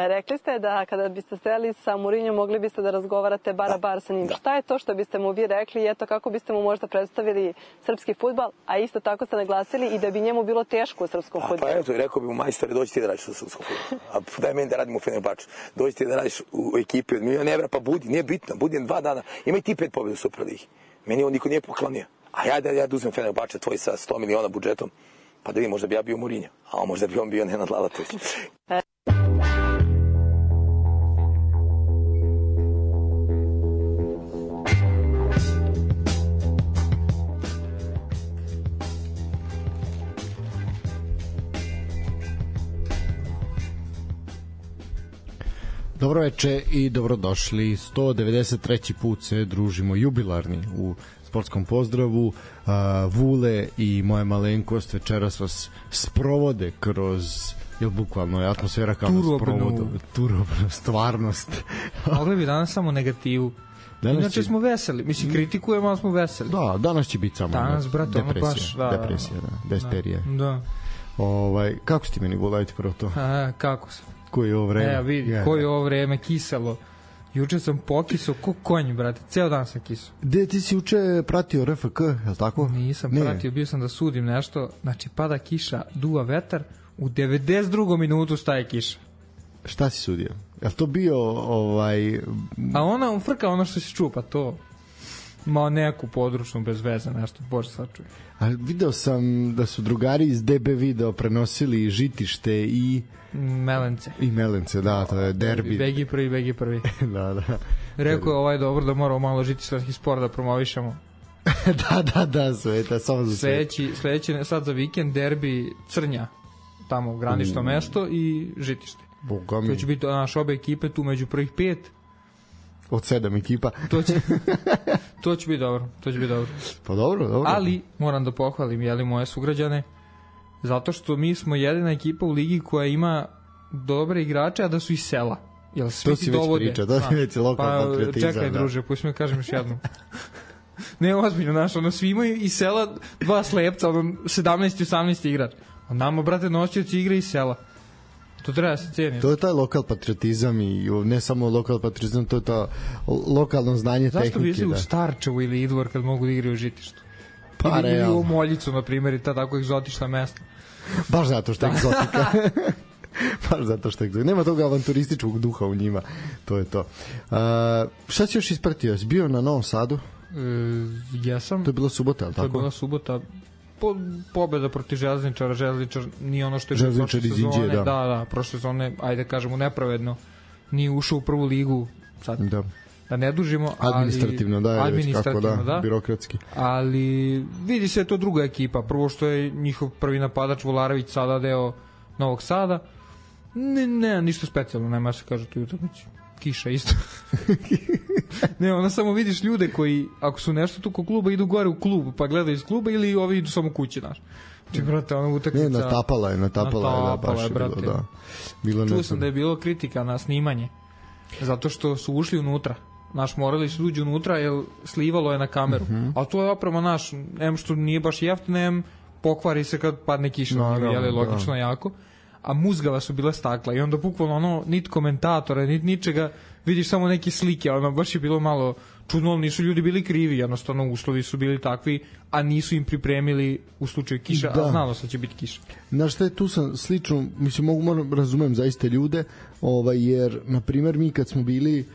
Rekli ste da kada biste stajali sa Mourinhom mogli biste da razgovarate bar a bar sa njim. Šta je to što biste mu vi rekli i eto kako biste mu možda predstavili srpski fudbal, a isto tako ste naglasili i da bi njemu bilo teško u srpskom fudbalu? Pa eto, rekao bi mu majstore, dođi ti da radiš u srpskom fudbalu. A daj meni da radim u Fenerbahču. Dođi ti da radiš u ekipi od miliona evra, pa budi, nije bitno, budi 2 dana. Imaj ti 5 pobjeda u Superligi. Meni on niko nije poklonio. A ja da uzmem Fenerbahče tvoj sa 100 miliona budžetom, pa da vidim, možda bi ja bio Mourinho, a možda bi on bio Nenad Lalatović. Dobro veče i dobrodošli. 193. put se družimo jubilarni u sportskom pozdravu. Vule i moja malenkost večeras vas sprovode kroz bukvalno je atmosfera kao turobnu stvarnost. Mogli bi danas samo negativu. Inače smo veseli. Mislim, kritikujemo, ali smo veseli. Da, danas će biti samo depresija, desperija. Da. Kako ste meni volajte prvo to? Kako sam? Koje je ovo vreme? Koje je ovo vreme kiselo. Juče sam pokisao ko konj, brate. Ceo dan sam kisao. Gde ti si juče pratio RFK, je li tako? Nisam pratio, bio sam da sudim nešto. Znači, pada kiša, duva vetar. U 92. minutu staje kiša. Šta si sudio? Je li to bio A ona frka ono što si čuo, pa to... Mao neku područnu bez veze, nešto, bože sačuj. A video sam da su drugari iz DB video prenosili Žitište i... Melence, da, to je derbi. Begi prvi. Da. Rekao je dobro da moramo malo žitištanski sport da promovišemo. da, sveta, samo za sledeći sad za vikend derbi Crnja, tamo granično mesto i Žitište. Boga mi. To će biti naše obe ekipe tu među prvih 5. Od 7 ekipa. To će biti dobro. Pa dobro. Ali moram da pohvalim moje sugrađane, zato što mi smo jedina ekipa u ligi koja ima dobre igrače, a da su iz sela. To si već priča, to si već lokalno patriotizam. Čekaj, druže, pusti me kažem još jednom. Ne, ozbiljno, svi imaju iz sela 2 slepca, 17 i 18 igrač. A nama, brate, nosioci igra iz sela. To treba se cijeni. To je taj lokal patriotizam i ne samo lokal patriotizam, to je ta lokalno znanje tehnike. Zašto bi išli u Starčevu ili Idvor kad mogu da igraju u Žitištu? Ili u Moljicu, na primjer, i ta tako egzotična mesta. Baš zato što je egzotika. Nema tog avanturističkog duha u njima. To je to. Šta si još ispratio? Si bio na Novom Sadu? Jesam. To je bila subota, ali tako? To je bila subota. Pobjeda protiv Železničara. Železničar nije ono što je Železničar iz Inđije, da. Da, prošle sezone, ajde kažemo nepravedno, nije ušao u prvu ligu sad. Da ne dužimo, administrativno, da, birokratski. Ali vidi se to druga ekipa. Prvo što je njihov prvi napadač Volarević sada deo Novog Sada. Ne, ništa specijalno, nema se kaže tu utakmici. Kiša isto. Ne, onda samo vidiš ljude koji, ako su nešto tu kod kluba, idu gore u klub, pa gledaju iz kluba ili ovi idu samo kući, znaš. Znači, brate, ona utakmica... Ne, natapala je, da, baš je bilo, da. Čuo sam da je bilo kritika na snimanje, zato što su ušli unutra. Morali su uđu unutra, jer slivalo je na kameru. A to je oprema što nije baš jeftino, pokvari se kad padne kiša, logično jako. A muzgava su bila stakla i onda bukvalno nit komentatora, nit ničega, vidiš samo neke slike, baš je bilo malo čudno, nisu ljudi bili krivi, jednostavno uslovi su bili takvi, a nisu im pripremili u slučaju kiša, a znalo se će biti kiša. Znaš šta je tu sam slično, mislim, razumem zaista ljude, jer, na primjer, mi kad smo bili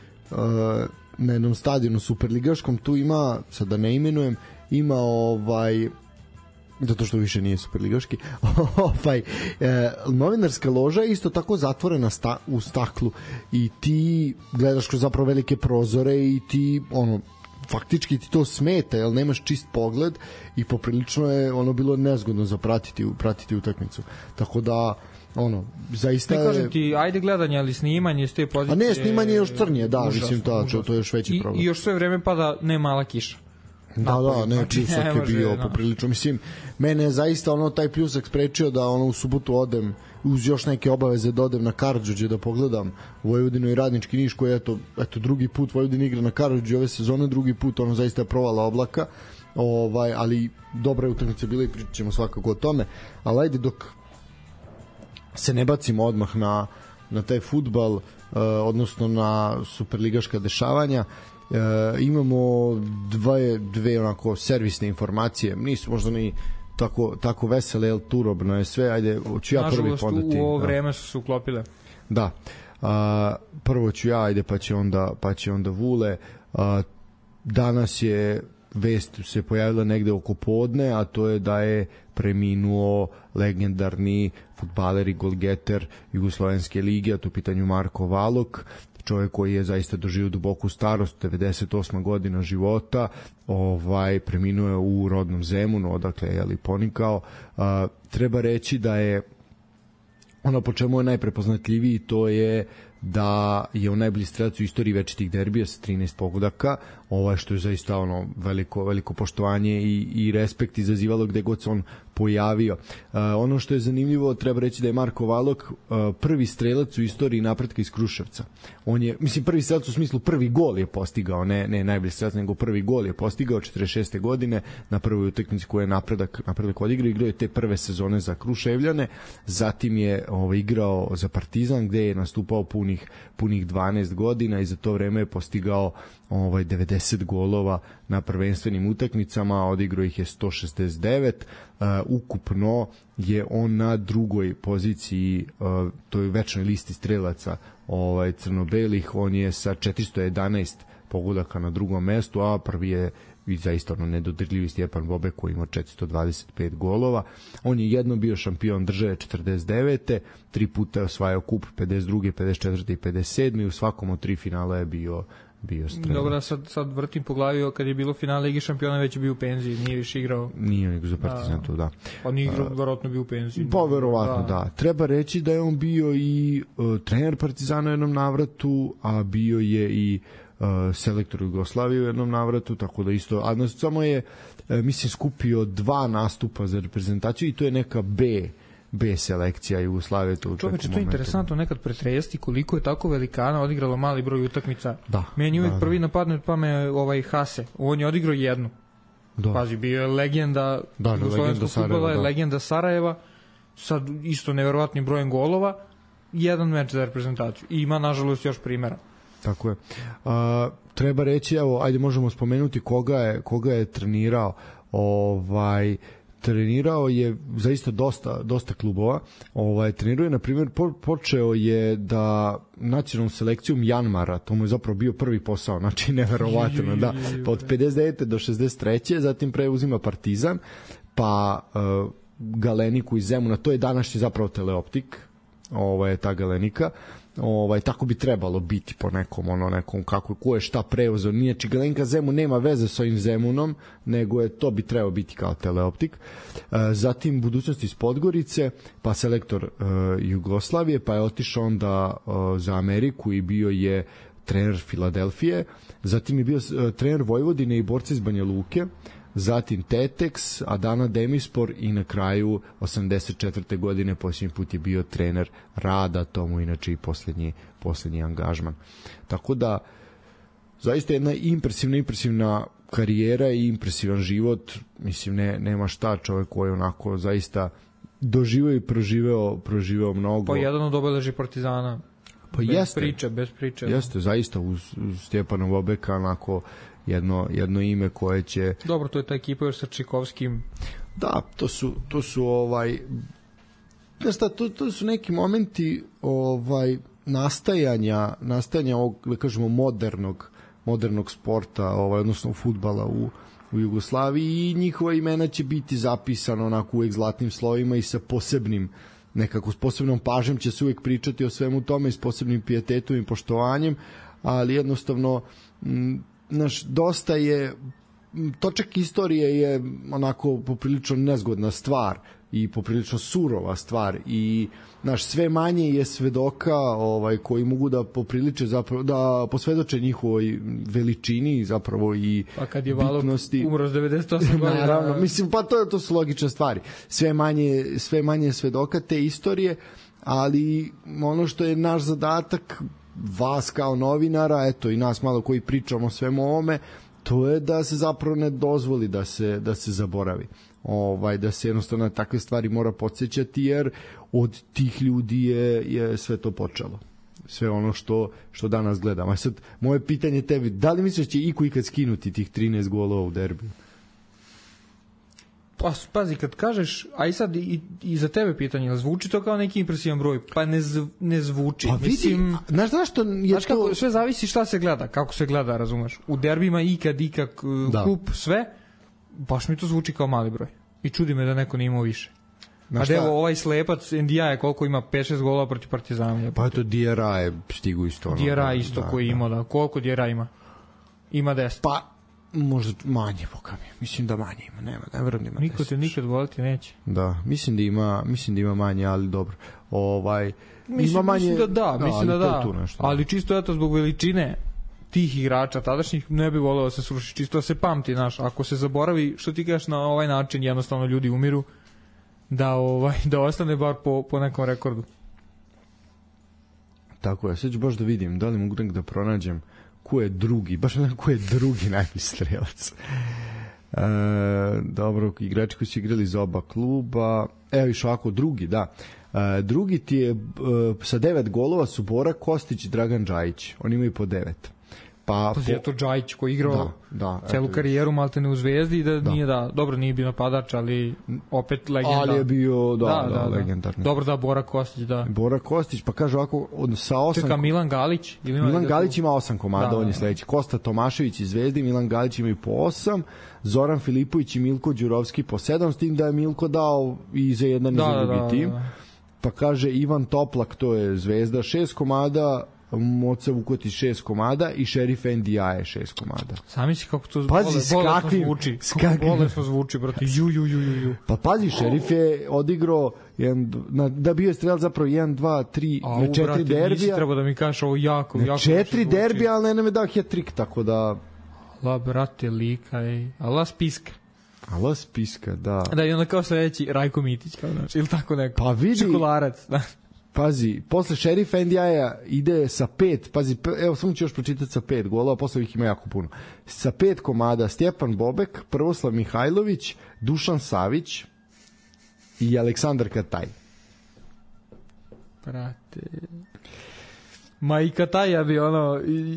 na jednom stadionu superligaškom, tu ima, sad da ne imenujem, ima zato što više nije superligaški, novinarska loža je isto tako zatvorena u staklu i ti gledaš kroz zapravo velike prozore i ti, faktički ti to smeta, jer nemaš čist pogled i poprilično je bilo nezgodno za pratiti utakmicu. Tako da, zaista je... Ne kažem ti, ajde gledanje, ali snimanje s te pozicije... A ne, snimanje je još crnije, da, mislim, to je još veći problem. I još sve vreme pada ne mala kiša. Da, pljusak je bio poprilično. Mislim, mene je zaista taj pljusak sprečio da u subotu odem uz još neke obaveze da odem na Karađorđe da pogledam Vojvodinu i Radnički Niš koji eto drugi put Vojvodina igra na Karađorđe ove sezone, drugi put zaista je provala oblaka, ali dobra je utakmica bila i pričat ćemo svakako o tome, ali ajde dok se ne bacimo odmah na na taj fudbal, odnosno na superligaška dešavanja. Imamo dve onako servisne informacije, nisu možda ni tako vesele, jel turobno je sve, ajde, ću ja prvi podati. Nažalost, u ovo vreme su se uklopile. Da, prvo ću ja, ajde, pa će onda Vule. Danas je vest se pojavila negde oko podne, a to je da je preminuo legendarni fudbaler i golgeter Jugoslovenske lige, a to u pitanju Marko Valok, čovjek koji je zaista doživio duboku starost, 98. godina života, preminuo je u rodnom Zemunu, odakle je ponikao. Treba reći da je ono po čemu je najprepoznatljiviji, to je da je on najbolji strelac u istoriji večitih derbija sa 13 pogodaka, što je zaista veliko poštovanje i respekt izazivalo gde god se on pojavio. Ono što je zanimljivo, treba reći da je Marko Valok prvi strelac u istoriji napretka iz Kruševca. On je, prvi strelac u smislu prvi gol je postigao, ne najbolji strelac, nego prvi gol je postigao 46. godine na prvoj utakmici koju je napredak odigrao je te prve sezone za Kruševljane, zatim je igrao za Partizan gde je nastupao punih 12 godina i za to vreme je postigao 90 golova na prvenstvenim utakmicama, odigrao ih je 169. Ukupno je on na drugoj poziciji toj večnoj listi strelaca crno-belih, on je sa 411 pogodaka na drugom mestu, a prvi je zaista nedodirljivi Stjepan Bobek koji ima 425 golova. On je jedno bio šampion države 49. 3 puta je osvajao kup 52. 54. i 57. i u svakom od 3 finala je bio strelac. Dobro, sad vrtim po glavi, kad je bilo finale Ligi šampiona već je bio u penziji, nije više igrao. Nije on igrao za Partizan, to da. Pa nije igrao, verovatno bio u penziji. Pa verovatno, da. Treba reći da je on bio i trener Partizana u jednom navratu, a bio je i selektor Jugoslavije u jednom navratu, tako da isto, a samo je skupio 2 nastupa za reprezentaciju i to je neka B selekcija Jugoslavije. Čoveče, to je interesantno nekad pretresti koliko je tako velikana odigralo mali broj utakmica. Da. Meni uvijek prvi napadne pa me Hase, on je odigrao jednu. Da. Pazi, bio je legenda jugoslovenskog fudbala, legenda Sarajeva, sa isto neverovatnim brojem golova, jedan meč za reprezentaciju. I ima, nažalost, još primjera. Tako je. Treba reći, evo, ajde možemo spomenuti koga je trenirao. Trenirao je zaista dosta klubova. Trenirao je, na primjer, počeo je da nacionalnom selekcijom Janmara, to mu je zapravo bio prvi posao, znači neverovatno, da. Pa od 59. do 63. zatim preuzima Partizan, pa Galeniku iz Zemuna, to je današnji zapravo Teleoptik, ta Galenika. Tako bi trebalo biti po nekom kako ko je šta preuzeo. Nije Galenika Zemun nema veze sa ovim Zemunom, nego je to bi trebao biti kao Teleoptik. Zatim budućnost iz Podgorice, pa selektor Jugoslavije, pa je otišao onda za Ameriku i bio je trener Filadelfije. Zatim je bio trener Vojvodine i borca iz Banja Luke. Zatim Tetex, Adana Demispor i na kraju 84. godine posljednji put je bio trener Rada, to mu inače i posljednji angažman. Tako da zaista jedna impresivna karijera i impresivan život, nema šta, čovjek koji je onako zaista doživio i proživeo mnogo. Pa jedan od obeleži Partizana. Pa bez priče. Jeste, zaista uz Stjepana Bobeka onako jedno ime koje će... Dobro, to je ta ekipa još sa Čikovskim. Da, to su to su neki momenti nastajanja ovog, da kažemo, modernog sporta, odnosno fudbala u Jugoslaviji, i njihova imena će biti zapisana onako uvek zlatnim slovima i sa s posebnom pažnjom će se uvek pričati o svemu tome i s posebnim pijetetom i poštovanjem, ali jednostavno dosta je, točak istorije je onako poprilično nezgodna stvar i poprilično surova stvar i sve manje je svedoka koji mogu da popriliče zapravo, da posvedoče njihovoj veličini zapravo i bitnosti. Pa kad je Valok umro s 98 godina. Naravno, pa to su logične stvari. Sve manje svedoka te istorije, ali ono što je naš zadatak, vas kao novinara, eto i nas malo koji pričamo o svemu ovome, to je da se zapravo ne dozvoli da se zaboravi. da se jednostavno na takve stvari mora podsjećati, jer od tih ljudi je sve to počelo. Sve ono što danas gledamo. A sad, moje pitanje tebi, da li misliš će iko ikad skinuti tih 13 golova u derbiju? Pa, pazi, kad kažeš, a i sad i za tebe pitanje, zvuči to kao neki impresivan broj? Pa ne zvuči. Pa vidi, mislim, znaš zašto je znaš kako, to... sve zavisi šta se gleda, kako se gleda, razumeš? U derbima ikad kup, sve, baš mi to zvuči kao mali broj. I čudi me da neko nije imao više. A evo ovaj slepac Ndija je koliko ima 5-6 golova protiv Partizana. Pa to Dijera je stigu isto. Dijera isto koji ima, da. Koliko Dijera ima? Ima 10. Pa možda manje, boga mi. Mislim da manje ima, nema, ne verujem da ima 10. Niko te nikad voliti neće. Da, mislim da ima manje, ali dobro. Ima manje, mislim da da. Ali čisto eto zbog veličine tih igrača tadašnjih ne bi voleo da se sruši, čisto da se pamti, znaš, ako se zaboravi, što ti kažeš, na ovaj način jednostavno ljudi umiru, da ostane bar po nekom rekordu. Tako je, sad ću baš da vidim da li mogu da pronađem ko je drugi najbolji strelac. Dobro, igrači koji su igrali za oba kluba, evo iš ovako, drugi, da. Drugi ti je sa 9 golova su Bora Kostić i Dragan Džajić, oni imaju po 9. Pa je to Džajić koji igrao celu karijeru maltene u Zvezdi, dobro nije bio napadač, ali opet legenda. Ali je bio, legendarni. Dobro, Bora Kostić, da. Bora Kostić, pa kaže ovako, sa 8... Čeka, Milan Galić? Milan Galić ima 8 komada, on je sledeći. Kosta Tomašević iz Zvezde, Milan Galić imaju po 8, Zoran Filipović i Milko Đurovski po 7, s tim da je Milko dao i za jedan i za drugi tim. Pa kaže Ivan Toplak, to je Zvezda, 6 komada, Moca Vukotić 6 komada i Šerif Ndiaye 6 komada. Sami si kako to bolesno zvuči, brate. Ju. Pa pazi, Šerif je odigrao da bio je strelac zapravo 1, 2, 3 na 4 derbija. Nisi trebao da mi kažeš ovo jako. Na 4 derbija, ali ne nam je dao hat-trick, tako da... La, brate, lika, ala spiska. Ala spiska, da. Da, i onda kao sledeći Rajko Mitić, kao znači, ili tako neko. Pa vidi... Čokolarac, da. Pazi, posle Šerifa Ndiaye ide sa 5, pazi, evo samo ću još pročitati sa 5 golova, posle ih ima jako puno. Sa 5 komada Stjepan Bobek, Prvoslav Mihajlović, Dušan Savić i Aleksandar Kataj. Brate... Ma i Kataja bi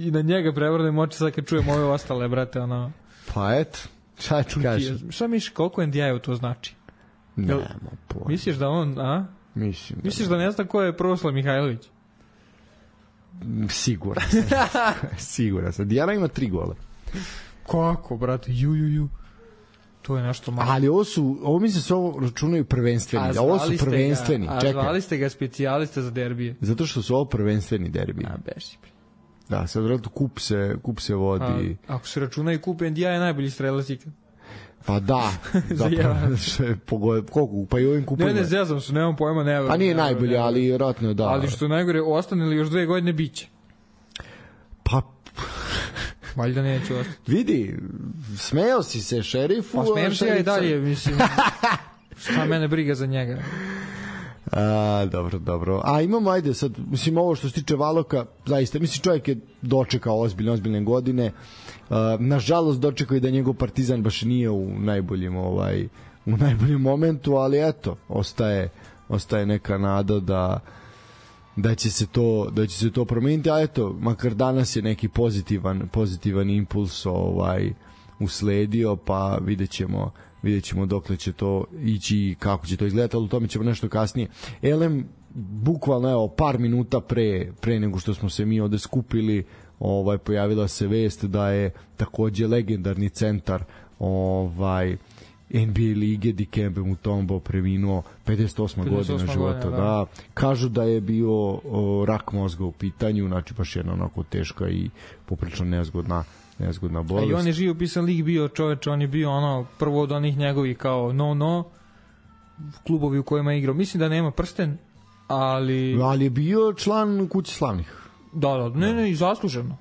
i na njega prevrnem oči sad kad čujem ove ostale, brate, Pa eto, šta ti kažeš? Šta misliš, koliko Ndiaye to znači? Nemo pojma. Misliš da on, Misliš da ne znam ko je Prvoslav Mihajlović? Siguran sam. Dijana ima 3 gola. Kako, brate? Ju. To je nešto malo. Ali ovo mislim se ovo računaju prvenstveni. Ovo su prvenstveni. A zvali ste ga specijaliste za derbije. Zato što su ovo prvenstveni derbije. Beši. Da, sad vratno kup se vodi. Ako se računa i kup Ndiaye je najbolji strelac ikad. Pa da, koliko, pa i ovim kupovima. Ne, zezam se, nemam pojma, ne. Pa nije najbolje, ali vjerojatno da. Ali što je najgore, ostane li još 2 godine biće? Pa... Valjda neću ostati. Vidi, smeo si se Šerifu. Pa smejem se ja i dalje, mislim. Šta mene briga za njega? Dobro. A imamo, ajde sad, mislim, ovo što se tiče Valoka, zaista, mislim, čovjek je dočekao ozbiljne godine. Nažalost, dočekao i da njegov Partizan baš nije u najboljem momentu, ali eto, ostaje neka nada da će se to promeniti, a eto, makar danas je neki pozitivan impuls usledio, pa vidjet ćemo dokle će to ići i kako će to izgledati, ali u tome ćemo nešto kasnije. Elem, bukvalno par minuta pre nego što smo se mi ovde skupili, pojavila se vest da je takođe legendarni centar NBA lige Dikembe Mutombo preminuo 58 godina života. Da. Kažu da je bio rak mozga u pitanju, znači baš jedna onako teška i poprilično nezgodna bolest. I on je živopisan lik bio, čoveč, on je bio prvo od onih njegovih kao klubovi u kojima je igrao. Mislim da nema prsten, ali je bio član Kuće slavnih. Da, ne, i zasluženo.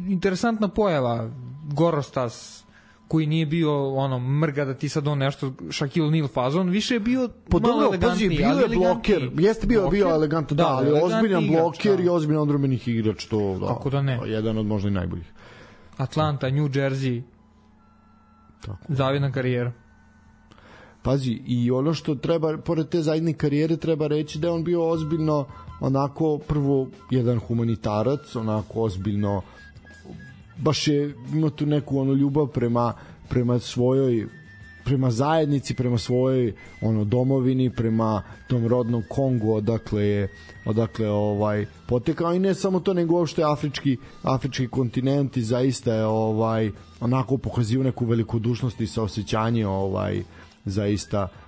Interesantna pojava, Gorostas, koji nije bio mrga da ti sad nešto Shaquille O'Neal fazon, više je bio malo elegantniji. Bio je bloker, jeste bio elegantno, da, ali ozbiljan bloker i ozbiljan odbrambenih igrač, to kako da ne. Jedan od možda i najboljih. Atlanta, New Jersey. Zavidna karijera. Pazi, i ono što treba, pored te zajedne karijere, treba reći da je on bio ozbiljno, onako, prvo, jedan humanitarac, onako ozbiljno, baš je imao tu neku ono ljubav prema svojoj, prema zajednici, prema svojoj domovini, prema tom rodnom Kongu, odakle potekao, i ne samo to, nego uopšte afrički kontinent, i zaista je onako pokazio neku velikodušnost i saosećanje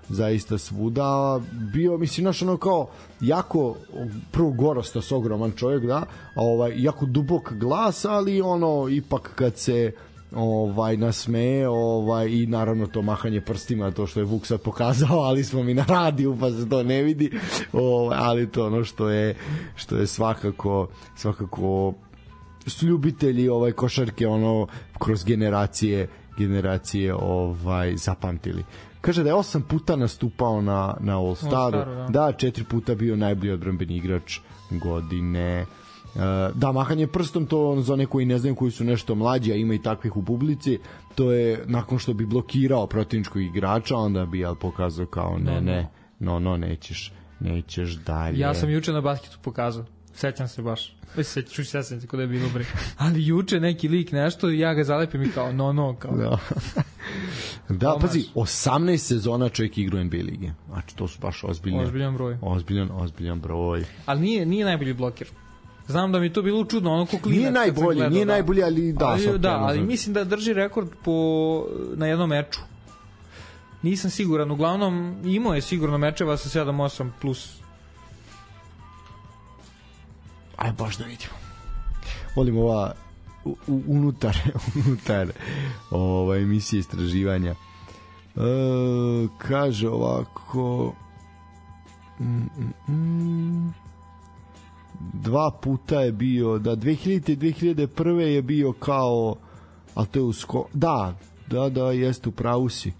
zaista svuda bio, mislim, naš ono kao jako, prvo gorostas, ogroman čovjek, da, jako dubok glas, ali ipak kad se nasmeje, i naravno to mahanje prstima, to što je Vuk sad pokazao, ali smo mi na radiju pa se to ne vidi, ali to ono što je svakako su ljubitelji košarke kroz generacije zapamtili. Kaže da je 8 puta nastupao na All-Staru, da, 4 puta bio najbolji odbrambeni igrač godine. Da, mahanje prstom, to za one koji ne znaju, koji su nešto mlađi, a ima i takvih u publici, to je nakon što bi blokirao protivničkog igrača, onda bi pokazao kao nećeš dalje. Ja sam juče na basketu pokazao, sećam se baš, sećam se kod je bilo bre, ali juče neki lik nešto i ja ga zalepim i kao kao. Da, pazi, 18 sezona čovjek igra u NBA lige, znači to su baš ozbiljan broj. Ali nije najbolji bloker. Znam da mi to bilo čudno, ono ko klinac. Nije najbolji, ali da. Ali mislim da drži rekord na jednom meču. Nisam siguran, uglavnom imao je sigurno mečeva sa 7-8 plus. Aj, baš da vidimo. Volim ova unutar emisije istraživanja. Kaže ovako... 2 puta je bio, da, 2000 i 2001. je bio kao, ali to je da, jeste, u pravu si.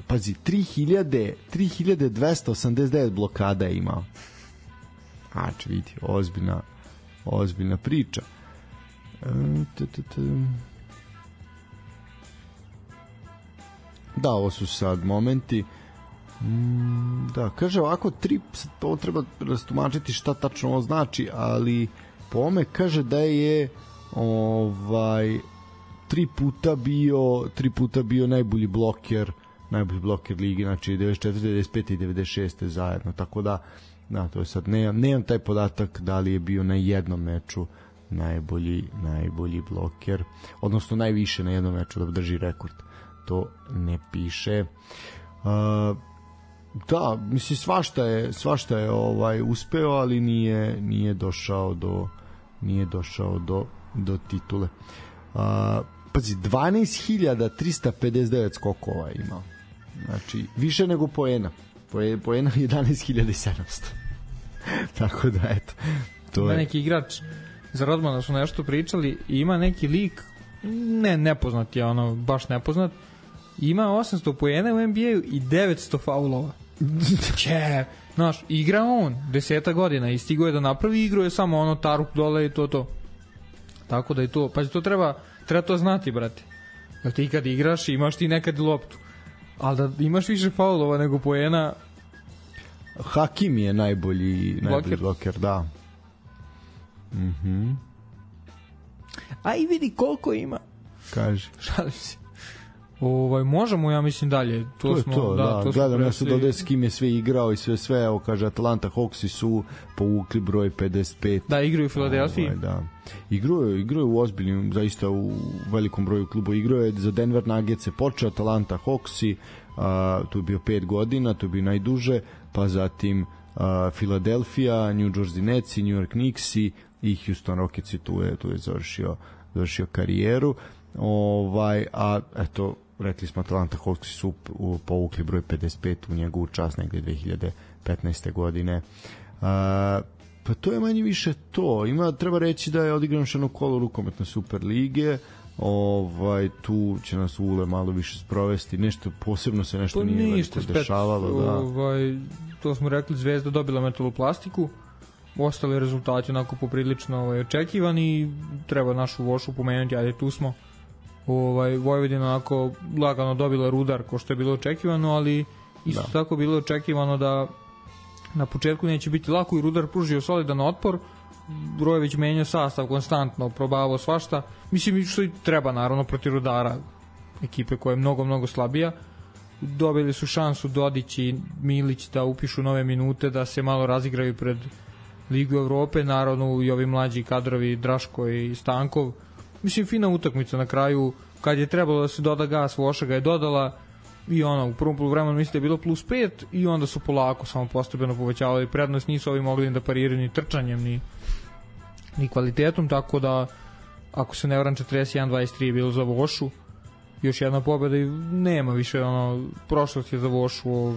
Pazi, 3289 blokada je imao. Znači, vidi, ozbiljna priča. Da, ovo su sad momenti. Da, kaže ovako, ovo treba rastumačiti šta tačno ovo znači, ali po ome kaže da je 3 puta bio najbolji bloker ligi, znači 94, 95 i 96 zajedno, tako da to je sad, nemam taj podatak da li je bio na jednom meču najbolji bloker, odnosno najviše na jednom meču da drži rekord, to ne piše. Da, mislim, svašta je uspeo, ali nije došao do titule. Pazi, 12.359 skokova imao. Znači, više nego poena. Poena 11.700. Tako da, eto. To je neki igrač za Rodmana su nešto pričali i ima neki lik, nepoznat je, baš nepoznat, ima 800 poena u NBA-u i 900 faulova. Znaš, igra on 10 godina i stigo je da napravi igru, je samo tarup dole i to. Tako da je to, pa to treba to znati, brate. Da ti kad igraš imaš ti nekad loptu, ali da imaš više faulova nego poena. Hakim je najbolji bloker, da. A i vidi koliko ima. Kaže. Šalim se. Možemo, ja mislim, dalje. To je to, da. Gledam ja sad ovde s kim je sve igrao i sve, evo kaže, Atlanta Hawksi su povukli broj 55. Da, igraju u Filadelfiji. Da. Igraju u ozbiljnim, zaista u velikom broju klubu. Igrao je za Denver Nuggets, se počeo Atlanta Hawksi, tu je bio 5 godina, to je bio najduže, pa zatim Filadelfija, New Jersey Nets, New York Knicks i Houston Rockets, tu je završio karijeru. A eto, rekli smo, Atlanta Hawks su povukli broj 55 u njegovu čast negde 2015. godine. Pa to je manje više to. Treba reći da je odigrano još jedno kolo rukometne Super lige. Tu će nas Ule malo više sprovesti. Nešto posebno se nešto nije dešavalo. To smo rekli, Zvezda dobila metaloplastiku ostali rezultati onako poprilično očekivani. Treba našu Vošu pomenuti, ali tu smo. Vojvodina onako lagano dobila Rudar ko što je bilo očekivano, ali isto tako bilo očekivano da na početku neće biti lako i Rudar pružio solidan otpor. Brojević menjao sastav konstantno, probavao svašta. Mislim što i treba naravno protiv Rudara, ekipe koja je mnogo slabija. Dobili su šansu Dodić i Milić da upišu nove minute, da se malo razigraju pred Ligu Evrope, naravno i ovi mlađi kadrovi Draško i Stankov. Mislim, fina utakmica na kraju, kad je trebalo da se doda gas, Voša ga je dodala i u prvom poluvremenu mislim da je bilo +5 i onda su polako samo postepeno povećavali prednost, nisu ovi mogli da pariraju ni trčanjem ni kvalitetom, tako da ako se ne varam 41-23 je bilo za Vošu, još jedna pobeda i nema više prošlost je za Vošu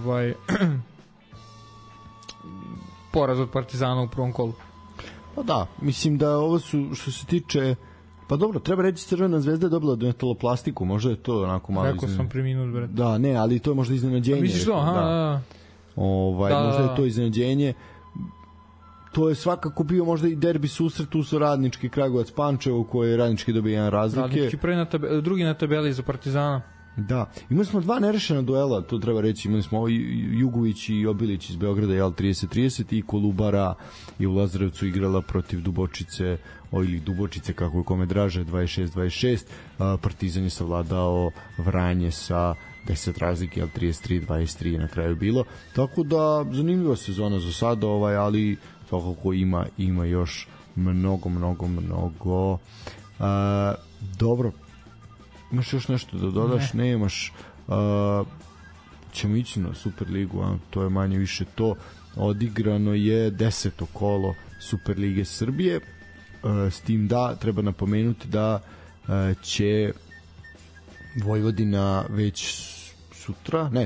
poraz od Partizana u prvom kolu. Pa da, mislim da ovo su što se tiče, pa dobro, treba reći Crvena zvezda je dobila denataloplastiku, možda je to onako malo rekao sam pre minut, bre. Da, ne, ali to je možda iznenađenje. Misliš to? Da. Možda je to iznenađenje. To je svakako bio možda i derbi susret, tu su Radnički Kragujevac Pančevo, koji je Radnički dobio jedan razlike. Radnički drugi na tabeli za Partizana. Da, imali smo 2 nerešena duela, to treba reći, imali smo Jugović i Obilić iz Beograda, 30-30 i Kolubara i u Lazarevcu igrala protiv Dubočice, ili Dubočice kako je kome draže, 26-26, Partizan je savladao Vranje sa 10 razlike, 33-23 na kraju bilo, tako da zanimljiva sezona za sada, ali svakako ima još mnogo. Dobro, imaš još nešto da dodaš? Ne imaš. Ćemo ići na Superligu, to je manje više to. Odigrano je 10. kolo Superlige Srbije, s tim da treba napomenuti da će Vojvodina već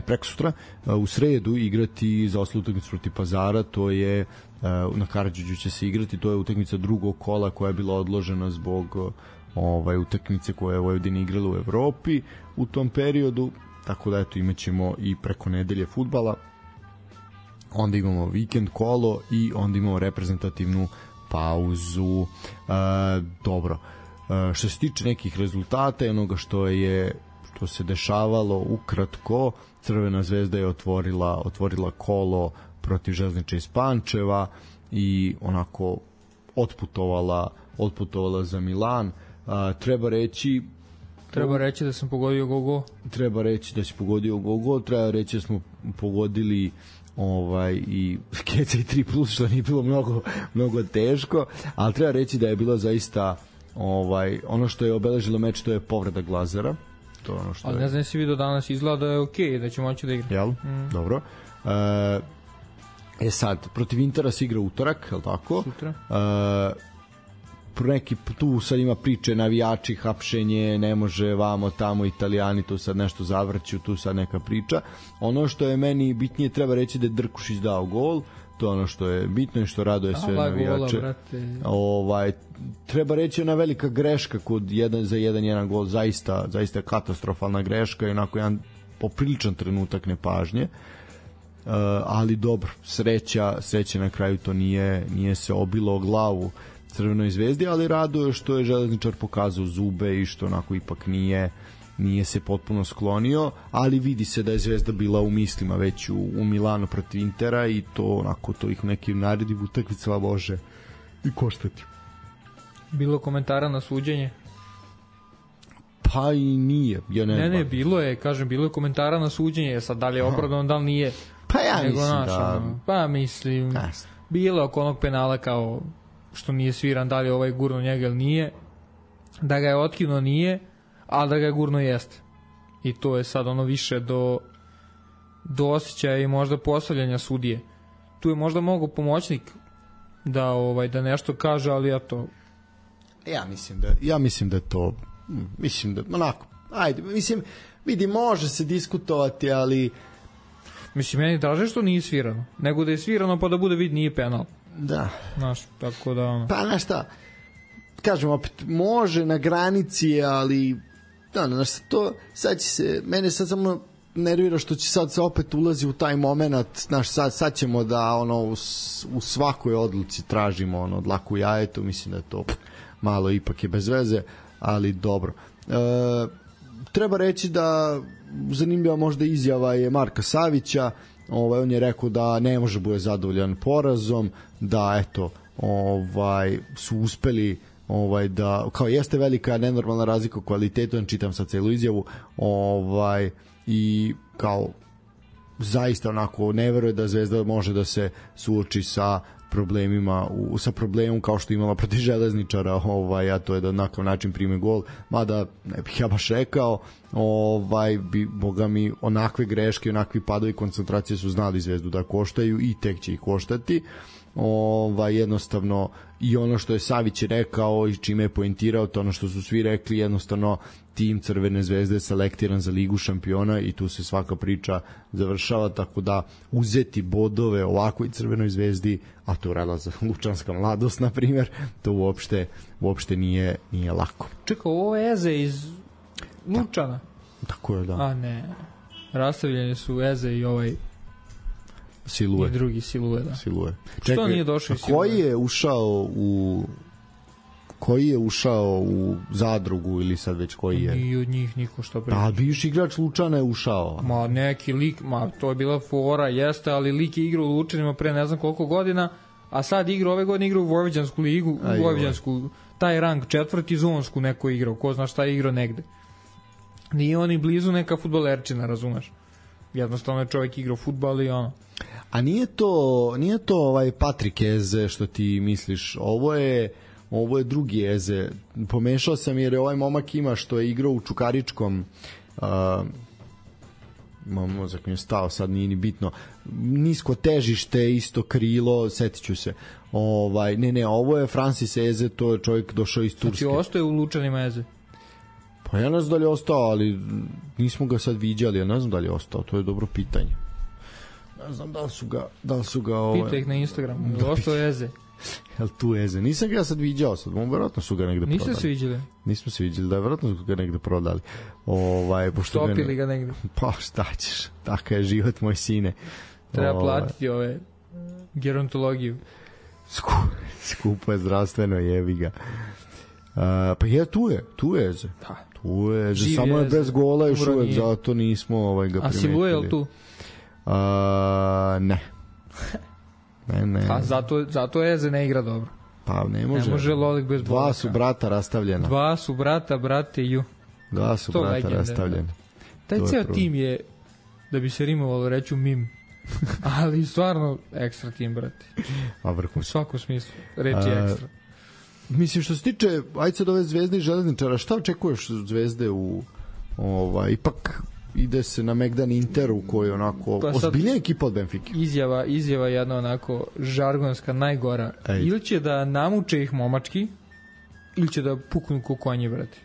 preko sutra u sredu igrati za osnovnu utakmicu protiv Pazara, to je na Karađorđu će se igrati, to je utakmica drugog kola koja je bila odložena zbog utakmice koja je Vojvodina igrala u Evropi u tom periodu, tako da eto imaćemo i preko nedelje fudbala, onda imamo vikend kolo i onda imamo reprezentativnu pauzu. Dobro, što se tiče nekih rezultata i onoga što se dešavalo ukratko, Crvena zvezda je otvorila kolo protiv Železnice iz Pančeva i onako otputovala za Milan. Treba reći da sam pogodio gogo. Treba reći da si pogodio gogo, treba reći da smo pogodili i Keca i 3+, što nije bilo mnogo teško, ali treba reći da je bilo zaista ono što je obeležilo meč, to je povreda Glazera. To ono što ali ne znam si vidio danas izgleda da je okej, da će moći da igra. Jel? Dobro. Sad, protiv Intera se igra utorak, je li tako? Sutra. Tu sad ima priče, navijači, hapšenje, ne može vamo, tamo, Italijani, to sad nešto zavrću, tu sad neka priča. Ono što je meni bitnije, treba reći da je Drkušić dao gol, to je ono što je bitno i što raduje sve navijače. Treba reći ona velika greška kod 1-1 gol, zaista katastrofalna greška i onako jedan popriličan trenutak nepažnje. Ali dobro, sreća na kraju to nije se obilo o glavu Crvenoj zvezdi, ali raduje što je železničar pokazao zube i što onako ipak nije se potpuno sklonio, ali vidi se da je Zvezda bila u mislima već u Milanu protiv Intera i to onako to ih u nekim narednim utakmicama može i koštati. Bilo komentara na suđenje? Pa i nije. Ne, bilo je komentara na suđenje, sad da li je opravdano, da li nije. Pa ja mislim Pa mislim, bilo oko onog penala kao što nije sviran, da li je gurno njega ili nije, da ga je otkinuo nije, a da ga je gurno jeste. I to je sad više do osjećaja i možda postavljanja sudije. Tu je možda mogao pomoćnik da nešto kaže, ali ja to... Ja mislim da to... Mislim da, onako, ajde, vidi, može se diskutovati, ali... Mislim, meni draže što nije svirano, nego da je svirano pa da bude vid nije penal. Da. Znaš, tako da... Pa, znaš šta, kažem opet, može na granici, ali... Znaš, to, sad će se, mene sad samo nervira što će sad se opet ulazi u taj moment, znaš, sad ćemo da u svakoj odluci tražimo dlaku jajetu, mislim da je to malo ipak je bez veze, ali dobro. Treba reći da zanimljiva možda izjava je Marka Savića, on je rekao da ne može bude zadovoljan porazom, da eto su uspeli da, kao jeste velika nenormalna razlika u kvalitetu, čitam sad celu izjavu, i kao zaista onako ne veruje da Zvezda može da se suoči sa problemima, sa problemom kao što je imala protiv Železničara, a to je da na način prime gol, mada ne bih ja baš rekao, boga mi, onakve greške, onakvi padovi koncentracije su znali Zvezdu da koštaju i tek će ih koštati. Jednostavno, i ono što je Savić rekao i čime je poentirao, to ono što su svi rekli, jednostavno tim Crvene Zvezde je selektiran za Ligu šampiona i tu se svaka priča završava, tako da uzeti bodove ovakvoj Crvenoj Zvezdi, a to radila za Lučanska mladost na primjer, to uopšte nije lako. Čekaj, ovo je Eze iz Lučana? Tako je, da. A ne, rastavljeni su Eze i Silue. I drugi Silue, da. Silue. Što nije došao iz Silue? Koji je ušao u Zadrugu ili sad već koji je? Ni od njih niko što priča. Pa bivši igrač Lučana je ušao. Ma neki lik, to je bila fora, jeste, ali lik je igrao u Lučanima pre ne znam koliko godina, a sad ove godine igra u Vojvođansku ligu, u Vojvođansku, taj rang 4. zonsku neko igrao, ko zna šta je igrao negde. Nije on i blizu neka fudbalerčina, razumeš? Jednostavno je čovjek igrao fudbal i ono. A nije to Patrik Eze što ti misliš, ovo je drugi Eze. Pomešao sam jer je ovaj momak ima što je igrao u Čukaričkom, mozak mi je stao, sad nije ni bitno, nisko težište, isto krilo, setit ću se. Ovo je Francis Eze, to je čovjek došao iz Turske. Znači ostaje u Lučanima Eze? Pa ja ne znam da li je ostao, ali nismo ga sad viđali, ja ne znam da li je ostao, to je dobro pitanje. Ne znam da li su ga Pitaj ih na Instagramu, ostao Eze. Jel tu Eze? Nisam ga sad viđao, verovatno su ga negde prodali. Niste se viđali? Nismo se viđali, da, verovatno su ga negde prodali. Stopili ga negde. Pa šta ćeš, tako je život moj sine. Treba platiti gerontologiju. Skupo je zdravstveno, jevi ga. Pa je, tu je Eze. Da. Tu je Eze, samo je bez gola još uvek, zato nismo ga primetili. A Silue je li tu? Ne. Ne. A zato Eze ne igra dobro. Pa ne može. Ne može Lolik bez bolaka. Dva su brata rastavljena. Brate ju. Dva su brata rastavljena. Taj ceo tim je, da bi se rimovalo reću mim, ali stvarno ekstra tim, brate. A vrhunski. U svakom smislu, reći ekstra. Mislim, što se tiče ajde sad ove Zvezde i Železničara, šta očekuješ od Zvezde ipak ide se na Megdan Interu koji je onako ozbiljna ekipa od Benfike. Izjava jedna onako žargonska, najgora. Ili će da namuče ih momački, ili će da puknu ko konji, brate.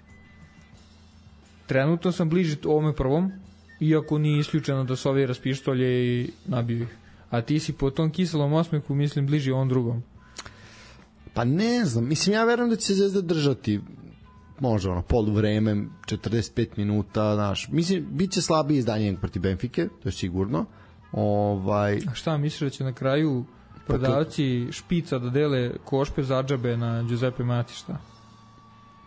Trenutno sam bliži ovome prvom, iako nije isključeno da se ovi raspištolje i nabiju ih. A ti si po tom kiselom osmehu, mislim, bliži ovom drugom. Pa ne znam, mislim, ja verujem da će se Zvezda držati možda poluvreme, 45 minuta, znaš, mislim, bit će slabiji izdanje protiv Benfike, to je sigurno. A šta misliš da će na kraju prodavci špica da dele košpe za džabe na Giuseppe Mati, šta?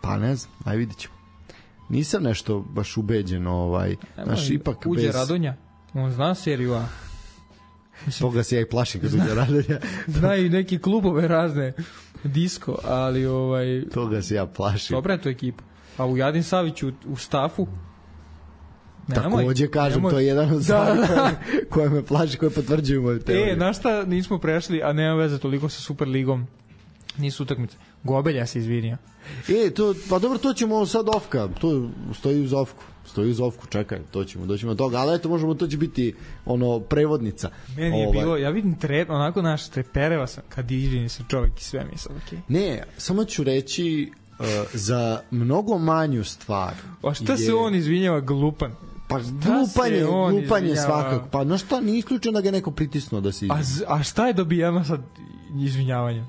Pa ne znam, aj vidit ćemo. Nisam nešto baš ubeđen, znaš, ipak uđe Radonja, on zna seriju A. Toga se ja i plašim kad uđe Radonja. Znaju neki klubove razne, disko, ali toga se ja plašim. Dobra je to ekipa. A u Jadin Savić u stafu takođe kažem, to je jedan od stvari koje me plaši, koje potvrđuju moju teoriju. Na šta nismo prešli, a nema veze toliko sa Superligom, nisu utakmice. Gobelja se izvinio. Pa dobro, to ćemo sad ofka, to stoji uz ofku, čekaj, doćemo do toga, ali eto, možemo, to će biti prevodnica. Meni je bilo, ja vidim onako naš trepereva sam, kad izvini se čovjek i sve mi sad, okej. Ne, samo ću reći za mnogo manju stvar. A šta se on izvinjava, glupan? Pa glupan je svakako. Pa no šta, nije isključeno da ga neko pritisnuo da se izvinja. A šta je dobijeno sad izvinjavanje?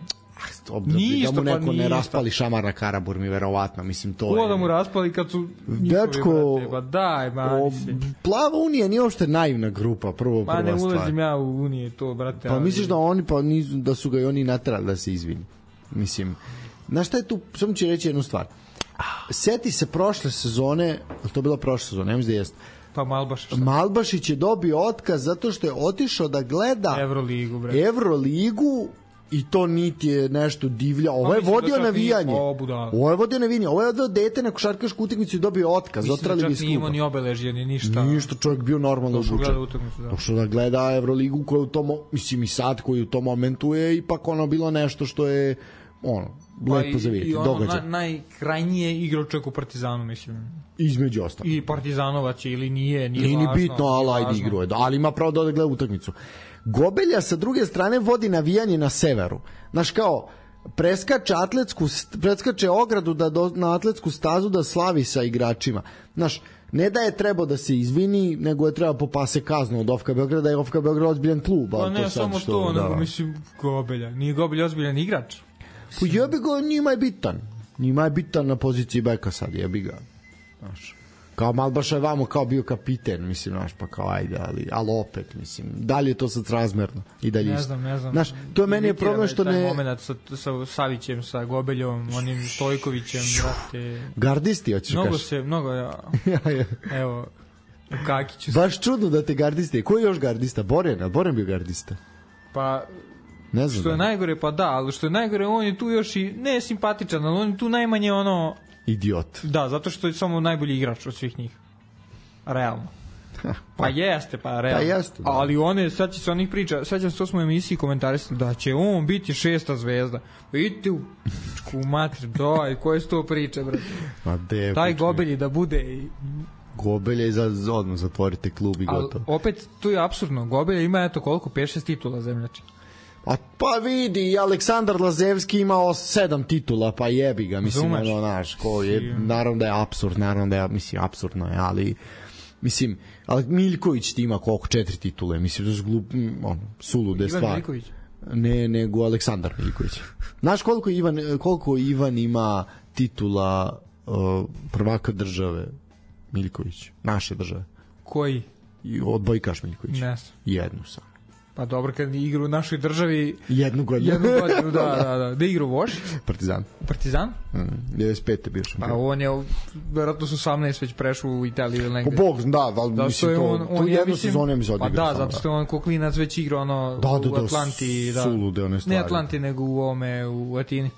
da mu neko ne raspali šamar na Karabur mi verovatno, mislim to ko je... da mu raspali kad su Dečko, brate, ba daj, mani se. Plava Unija nije uopšte naivna grupa, prva stvar. Ne ulazim ja u Unije, to, brate. Pa misliš da oni, pa nisu, da su ga i oni naterali da se izvini? Mislim, znaš šta je tu, samo ću reći jednu stvar. Seti se prošle sezone, to je bila prošla sezona, ne mislim da jeste. Pa Malbašić. Malbašić je dobio otkaz zato što je otišao da gleda Evroligu i to niti je nešto divlja. Ovo je vodio navijanje. Ovo je vodio navijanje. Ovo je odveo dete na košarkašku utakmicu i dobio otkaz. Mislim da čak nije imao ni obeležje, ni ništa. Ništa, čovjek bio normalno obučen. Došao da gleda Evroligu koja u tom, mislim i sad koji u tom momentu je ipak ono bilo nešto što je lepo za vidjeti. I ono najkrajnije igrao čovjek u Partizanu, mislim. Između ostalo. I Partizanovac je ili nije važno. Nije ni bitno, ali ajde igrao je. Ali ima pravo da gleda utakmicu. Gobelja sa druge strane vodi navijanje na severu. Znaš kao, preskače ogradu na atletsku stazu da slavi sa igračima. Znaš, ne da je trebao da se izvini, nego je treba popase kaznu od OFK Beograda, je OFK Beograd ozbiljan klub. Pa ne, samo to, nego mislim Gobelja. Nije Gobelja ozbiljan igrač? Pa jebi ga, njima je bitan. Njima je bitan na poziciji beka sad, jebi ga. Znaš, kao Malbaša je vamo kao bio kapiten, mislim, znaš, pa kao ajde, ali opet, mislim, da li je to sad razmerno i dalje isto? Ne znam. Znaš, to je meni je problem što taj moment sa Savićem, sa Gobeljom, onim Stojkovićem, brate. Gardisti, hoćeš kaži? Mnogo, ja. Evo, u Kakiću. Baš čudno da te gardiste. Ko je još gardista? Boren bio gardista. Pa... Ne znam. Što je najgore, pa da, ali što je najgore, on je tu još i ne simpatičan, ali on je tu najmanje idiot. Da, zato što je samo najbolji igrač od svih njih. Realno. Pa jeste, pa realno. Pa jeste, da. Ali one, sad će se onih priča, sad će se to smo u emisiji komentarisali, da će on biti 6. zvezda. Idite u mater, daj, koje su to priče, brate? Taj Gobelji da bude i... Gobelja i odmah zatvorite klub i gotovo. Opet, tu je apsurdno. Gobelja ima eto koliko, 5-6 titula zemljači. Pa vidi, i Aleksandar Lazevski imao 7 titula, pa jebi ga, mislim, naš, ko je, naravno da je apsurd, apsurdno je, ali, mislim, ali Miljković ti ima koliko, 4 titule, mislim, da su sulude stvari. Ivan Miljković? Ne, nego Aleksandar Miljković. Znaš koliko Ivan ima titula prvaka države Miljković, naše države? Koji? Odbojkaš Miljković. Ne. Jednu sam. Pa dobro, kad igra u našoj državi... Jednu godinu, da. Da igra u Voš? Partizan? 95. je bio šampion. Pa on je, verovatno su 18 već prešao u Italiju ili negde. Po Bog, da, mislim to jednu sezonu je mi odigrao. Pa da, zato što je on ko klinac već igrao u Atlanti. Da, sulude one stvari. Ne Atlanti, nego u Atini.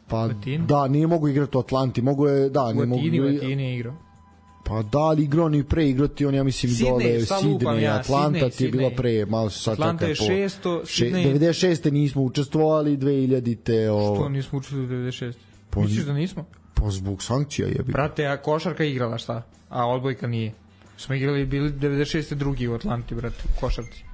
Pa da, nije mogu igrati u Atlanti, mogu je, da, ne mogu... U Atini je igrao. Pa da, ali igrao ni pre igrati, on ja mislim dole Sidney, Atlanta ti je bila pre, malo se sad Atlanta je 600, Sidney... 96. nismo učestvovali, 2000-te... Što nismo učestvovali 96? Misliš da nismo? Pa zbog sankcija je. Brate, a košarka igrala šta? A odbojka nije. Smo igrali, bili 96. drugi u Atlanti, brate, u košarci.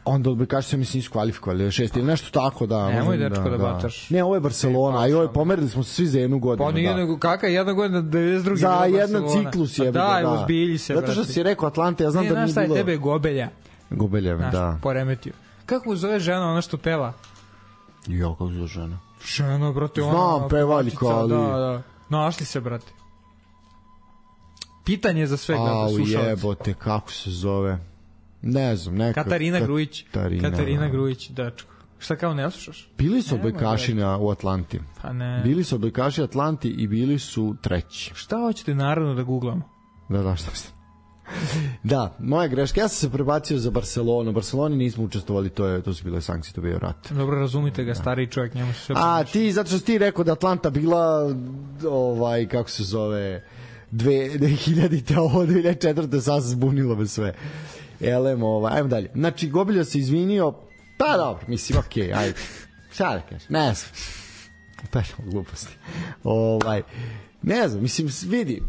Onda odbojkaši se mislim nisu kvalifikovali 6 ili nešto tako, da. Nemoj dečko da bataš. Ne, ovo je Barcelona, a joj pomerili smo se svi za jednu godinu. Pa nije nego kakva jedna godina 92. Za jedan ciklus je. Da, uzbilji se, brate. Zato što si rekao Atlante, ja znam da nije bilo. Ne, znaš tebe Gobelja. Gobelja, da. Poremetio. Kako zove žena ona što peva? Jo, kako zove žena? Žena, brate, ona. Znam, pevaljka, ali... Da. Našli se, brate. Pitanje za sve gledate slušalci. Jebote, kako se zove? Ne znam, neka... Katarina Grujić, dečko. Šta kao ne slušaš? Bili su odbojkaši u Atlanti. Pa ne. Bili su odbojkaši Atlanti i bili su treći. Šta hoćete naravno da googlamo? Da, šta ste? Da, moja greška. Ja sam se prebacio za Barcelonu. Barceloni nismo učestvovali, to su bile sankcije, to bio rat. Dobro, razumite ga, stariji čovjek, njemu se sve... ti, zato što si ti rekao da Atlanta bila, kako se zove, 2000-te, ovo 2004-te, sad se zbunilo bez sve. Ajmo dalje. Znači, Gobelja se izvinio, pa dobro, mislim, okej, ajde. Šta da kažeš? Ne znam. Pešamo gluposti. Ne znam, mislim, vidi,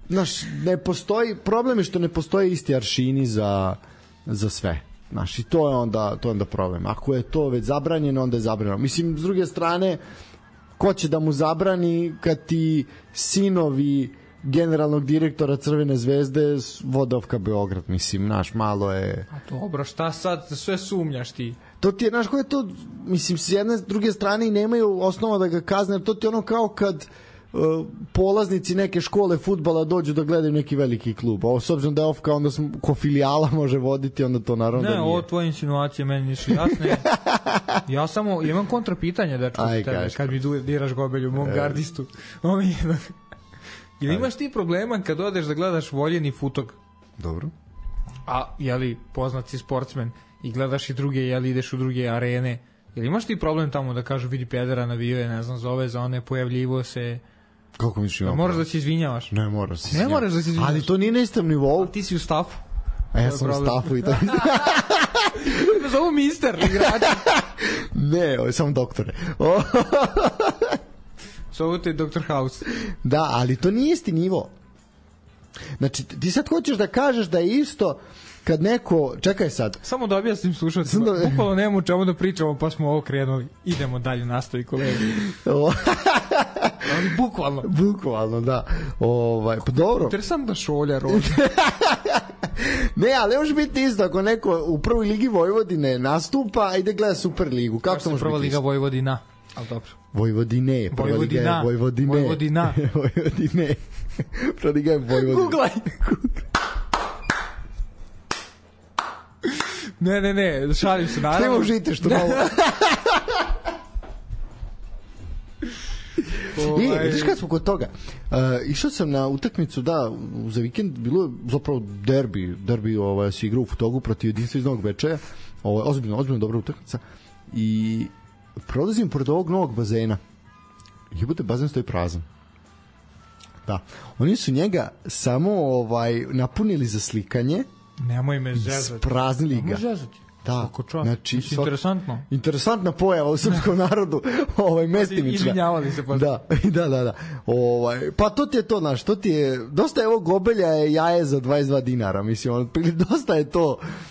znaš, ne postoji, problem je što ne postoje isti aršini za sve. Znaš, i to je onda problem. Ako je to već zabranjeno, onda je zabranjeno. Mislim, s druge strane, ko će da mu zabrani kad ti sinovi generalnog direktora Crvene zvezde Vodovka Beograd, mislim, naš, malo je... A dobro, šta sad, sve sumnjaš ti? to ti je, znaš, koje to, mislim, s jedne druge strane i nemaju osnova da ga kazne, jer to ti je ono kao kad polaznici neke škole fudbala dođu da gledaju neki veliki klub. Ovo, s obzirom da je off kao onda ko filijala može voditi, onda to naravno da nije. Ne, ovo tvoje insinuacije meni nisu jasne. Ja samo imam kontrapitanje, dečko, kad mi diraš Gobelju, mom gardistu. Ili imaš ti problema kad odeš da gledaš voljeni futog? Dobro. A, jeli, poznat si sportsmen i gledaš i druge, jeli, ideš u druge arene. Ili imaš ti problem tamo da kažu vidi pedera navio, ne znam, zove za one, pojavljivo se... Kako misliš ima? Moraš da se izvinjavaš. Ne moraš da se izvinjavaš. Ne moraš da se izvinjavaš. Ali to nije na istom nivou. A ti si u stafu. A ja sam u stafu i to. Zovu mister igrač. Ne, ovo je samo doktore. Zovu te Dr. House. Da, ali to nije isti nivo. Znači, ti sad hoćeš da kažeš da je isto kad neko... Čekaj sad. Samo da objasnim slušalcima. Bukvalno nema u čemu da pričamo, pa smo ovo krenuli. Idemo dalje, nastavi kolega. Ali bukvalno. Bukvalno, da. Pa dobro. Interesantna šolja, rođa. Ne, ali može biti isto ako neko u prvoj ligi Vojvodine nastupa, a ide gleda Superligu. Kako to može biti? Prva liga Vojvodina. Ali dobro. Vojvodine. Prva liga je Vojvodine. Vojvodina. Vojvodine. Prva liga je Vojvodina. Googlaj. Ne, šalim se, naravno. Nemo žite što malo. Vidiš kad smo kod toga, išao sam na utakmicu, da, za vikend bilo je zapravo derbi se igrao u Futogu protiv Jedinstva iz Novog Bečeja, ozbiljno dobra utakmica, i prolazim pored ovog novog bazena, jebote, bazen stoji prazan. Da, oni su njega samo napunili za slikanje. Nemoj me zezati. Spraznili ga. Nemoj zezati. Da, znači interesantno. Interesantna pojava u srpskom narodu, mestimična. Izvinjavali se pa. Da. Pa to ti je to, znaš, to ti je dosta je ovo Gobelja je jaje za 22 dinara, mislim,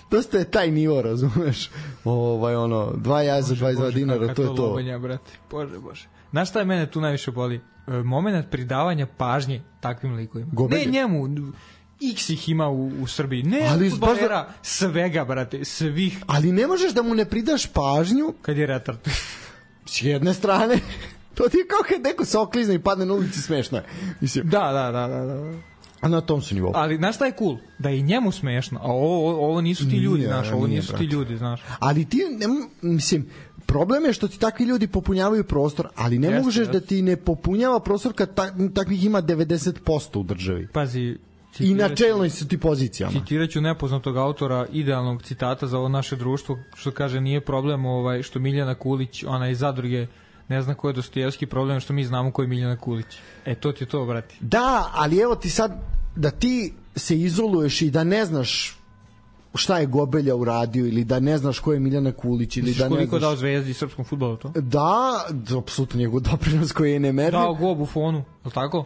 dosta je taj nivo, razumeš? 2 jaje za 22 dinara, to je to. Lobenja, brate. Bože. Znaš šta je mene tu najviše boli? Moment pridavanja pažnje takvim likovima. Gobelje? Ne njemu, X ih ima u Srbiji. Ne, fudbalera, svega, brate, svih. Ali ne možeš da mu ne pridaš pažnju kad je retard. S jedne strane, to ti je kao kad neko se oklizne i padne na ulici, smešno je. Mislim. Da. A na tom su nivou. Ali znaš šta je cool? Da je i njemu smešno, a ovo nisu ti ljudi, znaš, ovo nisu ti ljudi, znaš. Ali ti, mislim, problem je što ti takvi ljudi popunjavaju prostor, ali ne možeš da ti ne popunjava prostor kad takvih ima 90% u državi. Pazi, i na čelnoj su ti pozicijama. Citiraću nepoznatog autora idealnog citata za ovo naše društvo, što kaže nije problem što Miljana Kulić, ona iz Zadruge, ne zna ko je Dostojevski, problem što mi znamo ko je Miljana Kulić. To ti je to, brati. Da, ali evo ti sad da ti se izoluješ i da ne znaš šta je Gobelja uradio ili da ne znaš ko je Miljana Kulić ili da ne znaš... koliko dao Zvezdi i srpskom fudbalu to? Da, apsolutno njegov doprinos koji je nemerljiv. Dao go Buffonu, je li tako?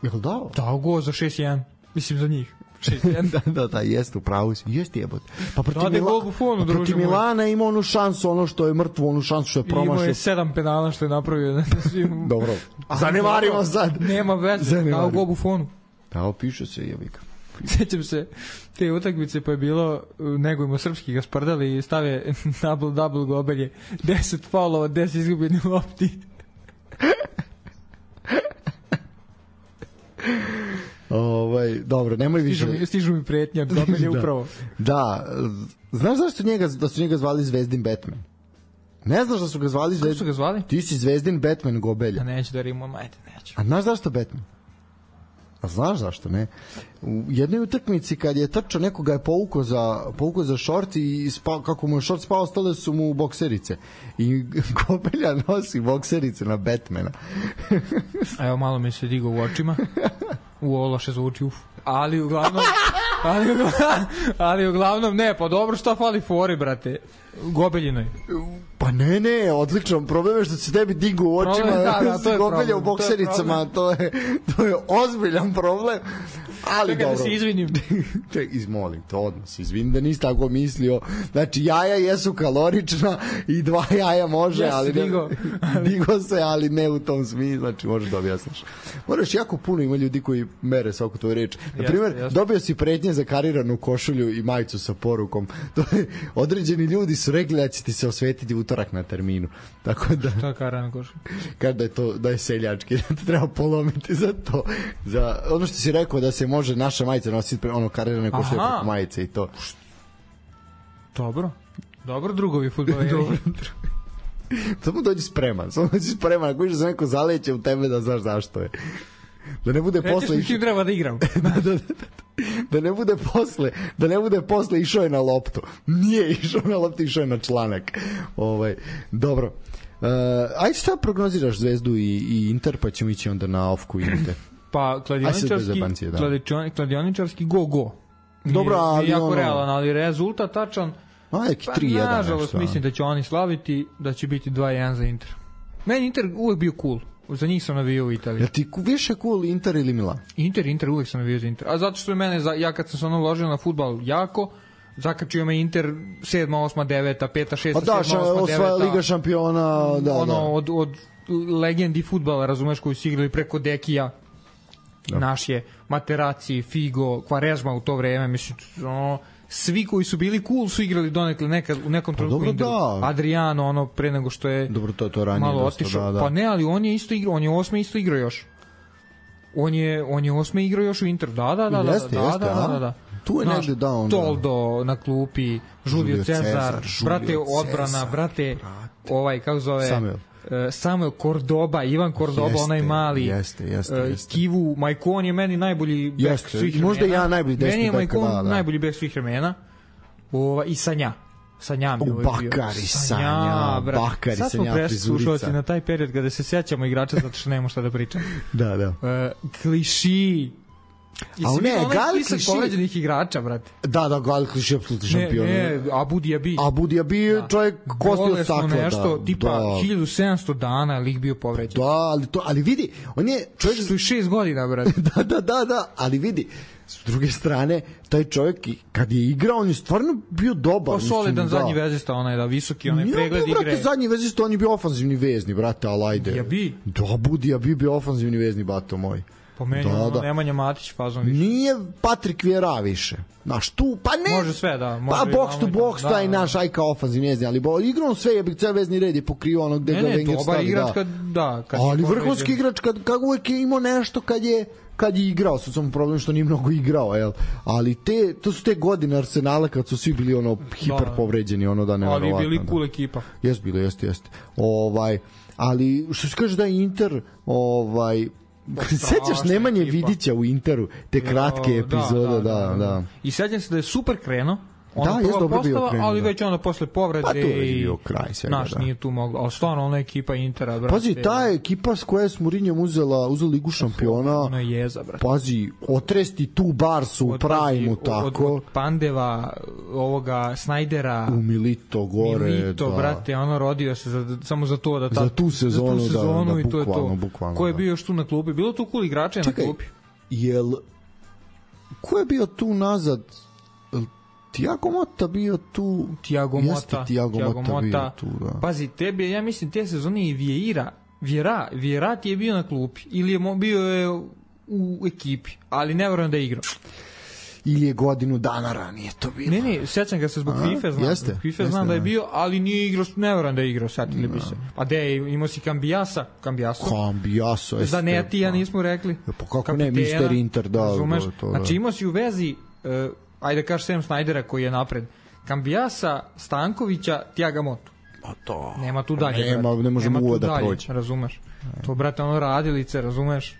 Jel dao? Dao go za 6-1. Mislim za njih. 6-1. da, jeste, upravo si. Jeste jebote. Pa protiv Milana ima onu šansu, ono što je mrtvo, onu šansu što je promašio. Imao je 7 penala što je napravio. Dobro. Zanemarimo sad. Nema veze. Dao go Buffonu. Da, piše se jebika. Sećam se te utakmice pa je bilo negujemo srpski ga sprdali i stave double Gobelje 10 faulova, 10 izgubljenih lopti. Dobro, nemoj više. Stižu mi pretnje, Gobelje upravo. Da, znaš da su njega zvali Zvezdin Batman? Ne znaš da su ga zvali Zvezdin? Kako su ga zvali? Ti si Zvezdin Batman Gobelja. A neću da rimom, neću. A znaš zašto Batman? A znaš zašto, ne? U jednoj utakmici kad je trčao, nekoga je povukao za šort i kako mu je šort spao, ostale su mu bokserice. I Gobelja nosi bokserice na Batmana. Evo, malo mi se digo u očima. Ovo loše zvuči, ali uglavnom ne, pa dobro, šta fali fori, brate, Gobeljinoj. Pa ne, odlično, problem je što se tebi digu u očima, to je Gobelja u boksericama, to je ozbiljan problem. Ali čekaj dobro. da se izvinim. Izmolim te, odmah se izvinim da nisi tako mislio. Znači, jaja jesu kalorična i 2 jaja može, ali digo se, ali ne u tom smislu, znači možeš da objasniš. Moraš, jako puno ima ljudi koji mere svaku tvoju reč. Na primjer, dobio si pretnje za kariranu košulju i majicu sa porukom. To je, određeni ljudi su rekli da će ti se osvetiti utorak na terminu. Tako da... Šta je karirana košulja? Kada je to, da je seljački, da te treba polomiti za to. Za ono što si rekao da se može naša majica nositi ono karirane košulje preko majice i to. Dobro drugovi fudbaleri. Samo dođi spreman. Ako viš da se neko zaleće u tebe da znaš zašto je. Da ne bude posle išao. Treba da igram. Da ne bude posle išao je na loptu. Nije išao na loptu, išao je na članak. Dobro. Ajde šta prognoziraš Zvezdu i Inter, pa ćemo ići onda na Ofku i Inter. Pa kladioničarski go. Dobro, ali jako realan, ali rezultat tačan. Neki 3-1. Nažalost, mislim da će oni slaviti, da će biti 2-1 za Inter. Meni Inter uvek bio cool. Za njih sam navijao u Italiji. Jel ti više cool Inter ili Milan? Inter, uvek sam navijao za Inter. A zato što je mene, ja kad sam se uložio na fudbal jako, zakačio me Inter 7, 8, 9, 5, 6, 7, 8, 9. Liga šampiona, od legendi fudbala, razumeš, koji su igrali preko Dekija, naš je Materazzi, Figo, Quaresma u to vreme, mislim, svi koji su bili cool su igrali donekle u nekom trenutku Interu. Adriano, pre nego što je malo otišao. Pa ne, ali on je isto igrao, on je 8. isto igrao još. On je 8. igrao još u Interu. Da. Tu je negde dao. Toldo na klupi, Julio Cezar, brate odbrana, brate kako zove... Samuel Cordoba, Ivan Cordoba, onaj mali. Jeste. Kivu, Maicon je meni najbolji bek svih vremena. Možda ja najbolji desni bek. Meni je Maicon najbolji bek svih vremena. I Sanja mi je bio. Bakari Sanja, sad smo preslušalci na taj period kada se sjećamo igrača zato što nemamo šta da pričamo. Da. Kliši. A ne, Gali Kliši povređenih igrača, brate. Da, Gali Kliši je apsolutni šampion. Abu Diabi je čovjek kostio staklo. Nešto, tipa 1700 dana lik bio povređen. Ali vidi, on je čovjek... 6 godina, brate. Da, ali vidi, s druge strane, taj čovjek, kad je igrao, on je stvarno bio dobar. Solidan zadnji vezista, visoki, pregled igre. Brate, zadnji vezista, on je bio ofanzivni vezni, brate, alajde. Diabi? Da, Abu Diabi bio ofanzivni vezni, bato moj. Po meni Nemanja Matić fazon više. Nije Patrik Vjera više. Znaš, tu, pa ne. Može sve, da. Box to box, taj naš ajka ofanzivni vezni, ali igrao sve je, ceo vezni red je pokrio ono gde ga Wenger stavi. Igrač ali vrhunski igrač, kad uvek je imao nešto kad je igrao, sad sam problem što nije mnogo igrao, jel? Ali to su te godine Arsenala kad su svi bili hiper povređeni, da ne verovatno. Ali bili cool ekipa. Jeste. Ali što se kaže da je Inter, sećaš Nemanje Vidića u Interu, te kratke epizode, da. I sećam se da je super krenuo. Je dobro bio krenuo. Ali već onda posle povrede pa to je bio kraj svega. Naš nije tu moglo, ali stvarno ona ekipa Intera, brate. Pazi, ta ekipa s koja je s Mourinhom uzela Ligu šampiona. Ona je jeza, brate. Pazi, otresti tu Barsu u prajmu, tako. Od Pandeva, ovoga Snajdera. U Milito gore. Milito, brate, rodio se samo za to. Za tu sezonu, da, i to je to. Ko je bio još tu na klupi? Bilo tu cool igrača na klupi. Ko je bio tu nazad? Tiago Motta bio tu. Tiago Motta bio tu, da. Pazi, tebi, ja mislim, te sezone i Vieira ti je bio na klupi. Ili je bio u ekipi, ali ne verujem da je igrao. Ili je godinu dana ranije to bilo. Ne, sjećam ga se zbog FIFA, znam. FIFA znam da je bio, ali nije igrao, ne verujem da je igrao, sjetili bi se. Pa imao si Cambiaso. Zanetija nismo rekli. Pa kako ne, Mr. Inter, da. Razumeš? Znači imao si u vezi... ajde kaži Sam Snajdera koji je napred. Cambiasa, Stankovića, Tiago Motu. Pa to. Nema tu dalje. Ne možemo uvod da proći. Razumeš? To, brate, radilice, razumeš?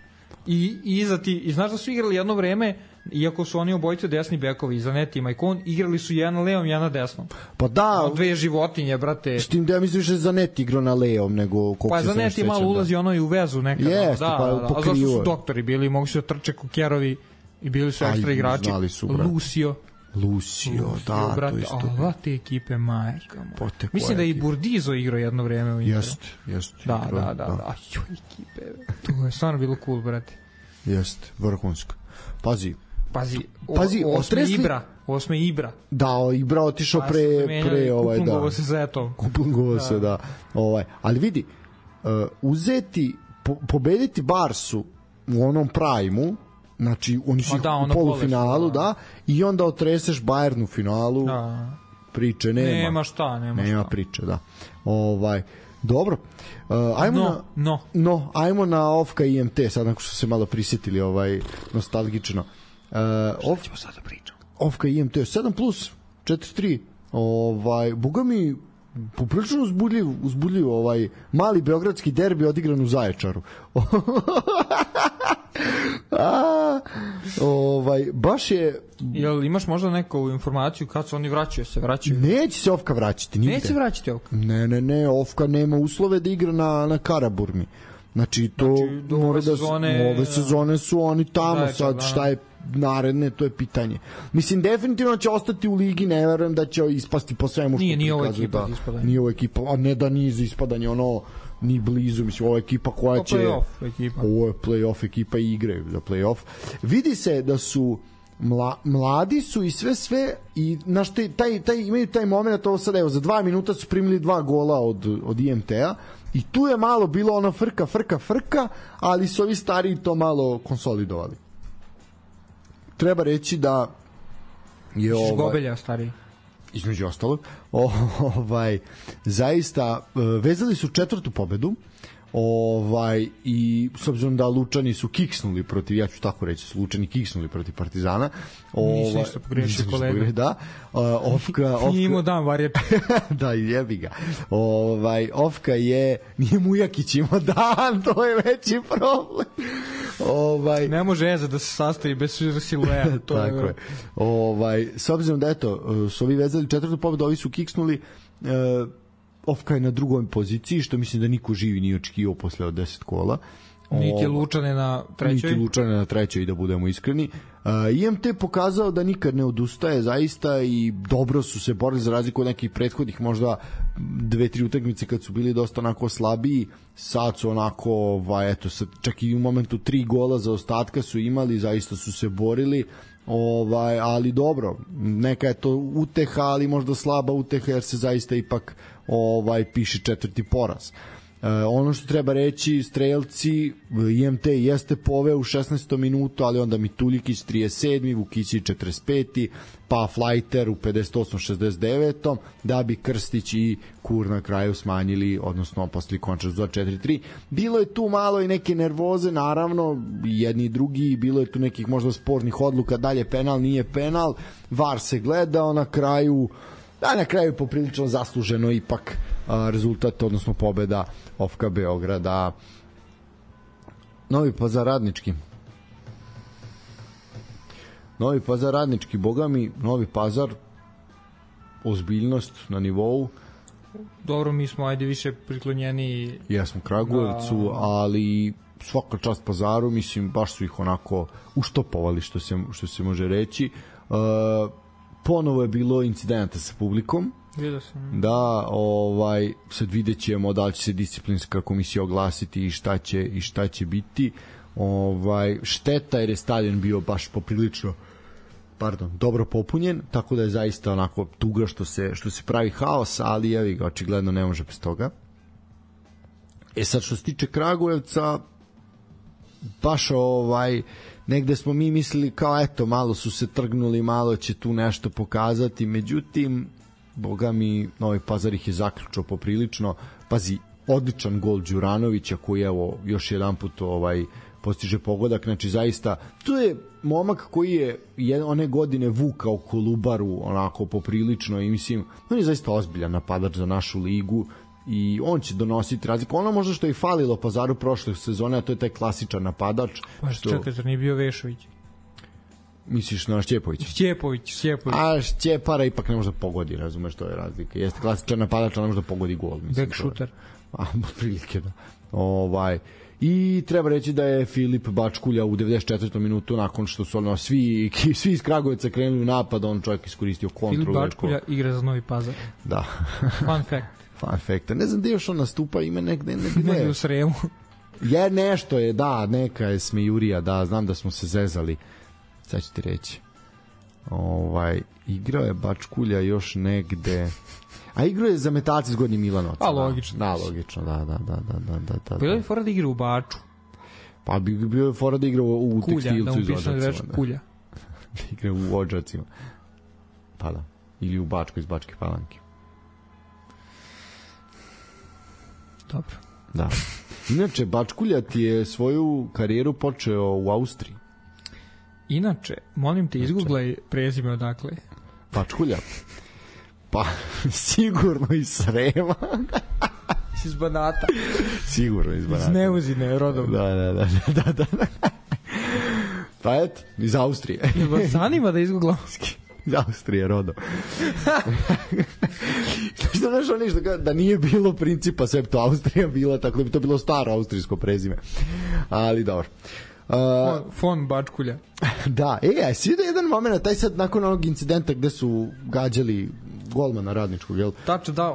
I iza ti, i znaš da su igrali jedno vreme, iako su oni obojice desni bekovi, Zanetti i Maicon, igrali su jedan na levom, jedan na desnom. Pa da. Dve životinje, brate. S tim da ja mislim više Zanetti igrao na levom nego... Pa Zanetti malo ulazi i u vezu nekada. Jeste, pa pokrivo. A zašto su doktori bili, mogu se trče kukerovi i bili su ekstra igrači. Lucio, da, brate, to isto. Ova te ekipe, majka moja. Mislim da i Burdizo igrao jedno vreme u Interu. Jeste. Da. Ekipe, to je stvarno bilo cool, brate. Jeste, vrhunsko. Pazi, Pazi, osme Ibra. Da, Ibra otišao pre ovaj, da. Kuplungovo se za eto. Kuplungovo se, da. Ali vidi, uzeti, pobediti Barsu u onom prajmu, znači oni su u polufinalu, da, i onda otreseš Bayern u finalu, priče nema. Nema priče, da. Dobro. Ajmo na Ofka i IMT, sad nakon što se malo prisjetili nostalgično. Šta ćemo sada pričati? Ofka i IMT 7+, 4-3. Boga mi poprilično uzbudljiv mali beogradski derbi odigran u Zaječaru. Baš je... Jel imaš možda neku informaciju kad se oni vraćaju? Neće se Ofka vraćati nigde. Neće se vraćati Ofka? Ne, Ofka nema uslove da igra na Karaburmi. Znači ove sezone su oni tamo, sad šta je naredne, to je pitanje. Mislim, definitivno će ostati u ligi, ne verujem da će ispasti po svemu što nije ovo ekipa za ispadanje. Nije ovo ekipa, a ne da nije za ispadanje, ni blizu, mislim, ovo je ekipa koja će... Ovo je play-off ekipa i igraju za play-off. Vidi se da su mladi su i sve i imaju taj moment, ovo sad, evo, za 2 minuta su primili 2 gola od IMT-a i tu je malo bilo ono frka, ali su ovi stariji to malo konsolidovali. Treba reći da je Gobelja stariji. Između ostalog, zaista vezali su 4. pobedu, i s obzirom da Lučani su kiksnuli protiv, ja ću tako reći, su Lučani kiksnuli protiv Partizana. Nisi ništa pogrešio, kolega. Da. Nije dan varjeti. Da, jebi ga. Ofka nije Mujakić imao dan, to je veći problem. Ne može Eza da se sastavi bez silueta. Tako je. S obzirom da, su ovi vezali 4. pobedu, ovi su kiksnuli, Ofka je na drugoj poziciji, što mislim da niko živi nije očekivao posle od 10 kola. Niti Lučane na trećoj. Da budemo iskreni. IMT je pokazao da nikad ne odustaje zaista i dobro su se borili za razliku od nekih prethodnih možda 2-3 utakmice kad su bili dosta onako slabiji. Sad su onako, čak i u momentu 3 gola za ostatka su imali, zaista su se borili. Ali dobro, neka je to uteha, ali možda slaba uteha jer se zaista ipak piše 4. poraz. Ono što treba reći, strelci, IMT jeste poveo u 16. minutu, ali onda Mituljikić 37. Vukićić 45. pa Flajter u 58. 69. da bi Krstić i Kur na kraju smanjili, odnosno posle konča za 4-3. Bilo je tu malo i neke nervoze, naravno, jedni i drugi, bilo je tu nekih možda spornih odluka, dalje penal, nije penal, VAR se gledao, na kraju poprilično zasluženo ipak rezultat, odnosno pobeda Ofka Beograda. Novi Pazar Radnički, boga mi, Novi Pazar, ozbiljnost na nivou. Dobro, mi smo više priklonjeni. Jesmo Kragujevcu, ali svaka čast Pazaru, mislim, baš su ih onako uštopovali, što se može reći. Ponovo je bilo incidenta sa publikom. Da, sad vidjet ćemo da li će se disciplinska komisija oglasiti i šta će biti. Šteta jer je stadion bio baš poprilično dobro popunjen, tako da je zaista onako tuga što se pravi haos, ali evi ga, očigledno ne može bez toga. Sad što se tiče Kragujevca, baš negde smo mi mislili kao eto, malo su se trgnuli, malo će tu nešto pokazati, međutim, boga mi, Novi Pazar ih je zaključao poprilično. Pazi, odličan gol Đuranovića koji evo još jedan put postiže pogodak, znači zaista tu je momak koji je one godine vukao Kolubaru onako poprilično i mislim, on je zaista ozbiljan napadač za našu ligu i on će donositi razliku. Ono možda što je falilo Pazaru prošle sezone, a to je taj klasičan napadač. Čekaj, zar nije bio Vešović? Misliš na Šćepović? Šćepović. A Šćepara ipak ne može da pogodi, razumeš, to je razlika. Jeste klasičan napadač, ali ne može da pogodi gol. Back shooter. Prilike, da. I treba reći da je Filip Bačkulja u 94. minutu, nakon što su svi iz Kragujevca krenuli u napad, on čovjek iskoristio kontru. Filip Bačkulja igra za Novi Pazar. Da. Fun fact. Ne znam gde još on nastupa, ima negde u Sremu. Nešto je, da, neka je smejurija, da, znam da smo se zezali. sad ću ti reći. Igrao je Bačkulja još negde, a igrao je za Metalci s Gornjim Milanovcem. A logično. Da, logično, da. Bilo je fora da igra u Baču. Pa bio je fora da igra u Kulja, Tekstilcu iz Kulja, Odžacima. Kulja. Da igra u Odžacima. Pa da. Ili u Bačkoj iz Bačke Palanke. Dobro. Da. Inače, Bačkulja ti je svoju karijeru počeo u Austriji. Inače, molim te, izgooglaj prezime odakle. Bačkulja? Pa, sigurno iz Srema. Iz Banata. Sigurno iz Banata. Iz Neuzine, rodom. Da. Pa eto, iz Austrije. Jel vas zanima da izgooglam? Iz Austrije, rodom. Što znaš ono da nije bilo principa septo Austrija bila, tako da bi to bilo staro austrijsko prezime. Ali dobro. Fon Bačkulja. Da, svi da jedan moment, taj sad nakon onog incidenta gde su gađali golmana Radničkog, jel? Tačno, da,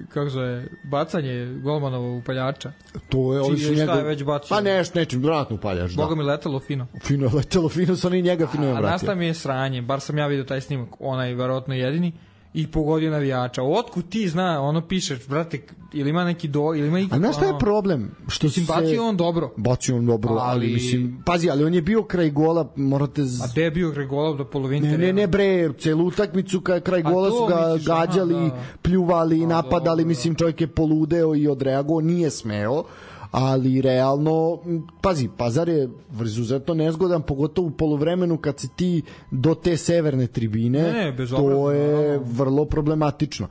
kako zove, bacanje golmanova upaljača. To je, ovi su njega... Šta je već bacio? Pa nečim, vratno upaljač, da. Boga mi letelo fino. Fino letelo, su oni njega fino je vratio. A nastav mi je sranje, bar sam ja vidio taj snimak, onaj verovatno jedini, i pogodio navijača. Otkud ti zna, ono pišeš, brate, ili ima neki ili ima neki... A znaš šta je problem? Što se... Bacio on dobro. Bacio on dobro, ali mislim... Pazi, ali on je bio kraj gola, morate... A gde je bio kraj gola do polovine? Ne, bre, celu utakmicu kraj gola su ga gađali, pljuvali, napadali, mislim, čovjek je poludeo i odreagovao, nije smeo, ali realno, pazi, Pazar je izuzetno nezgodan, pogotovo u poluvremenu kad si ti do te severne tribine, to je vrlo problematično.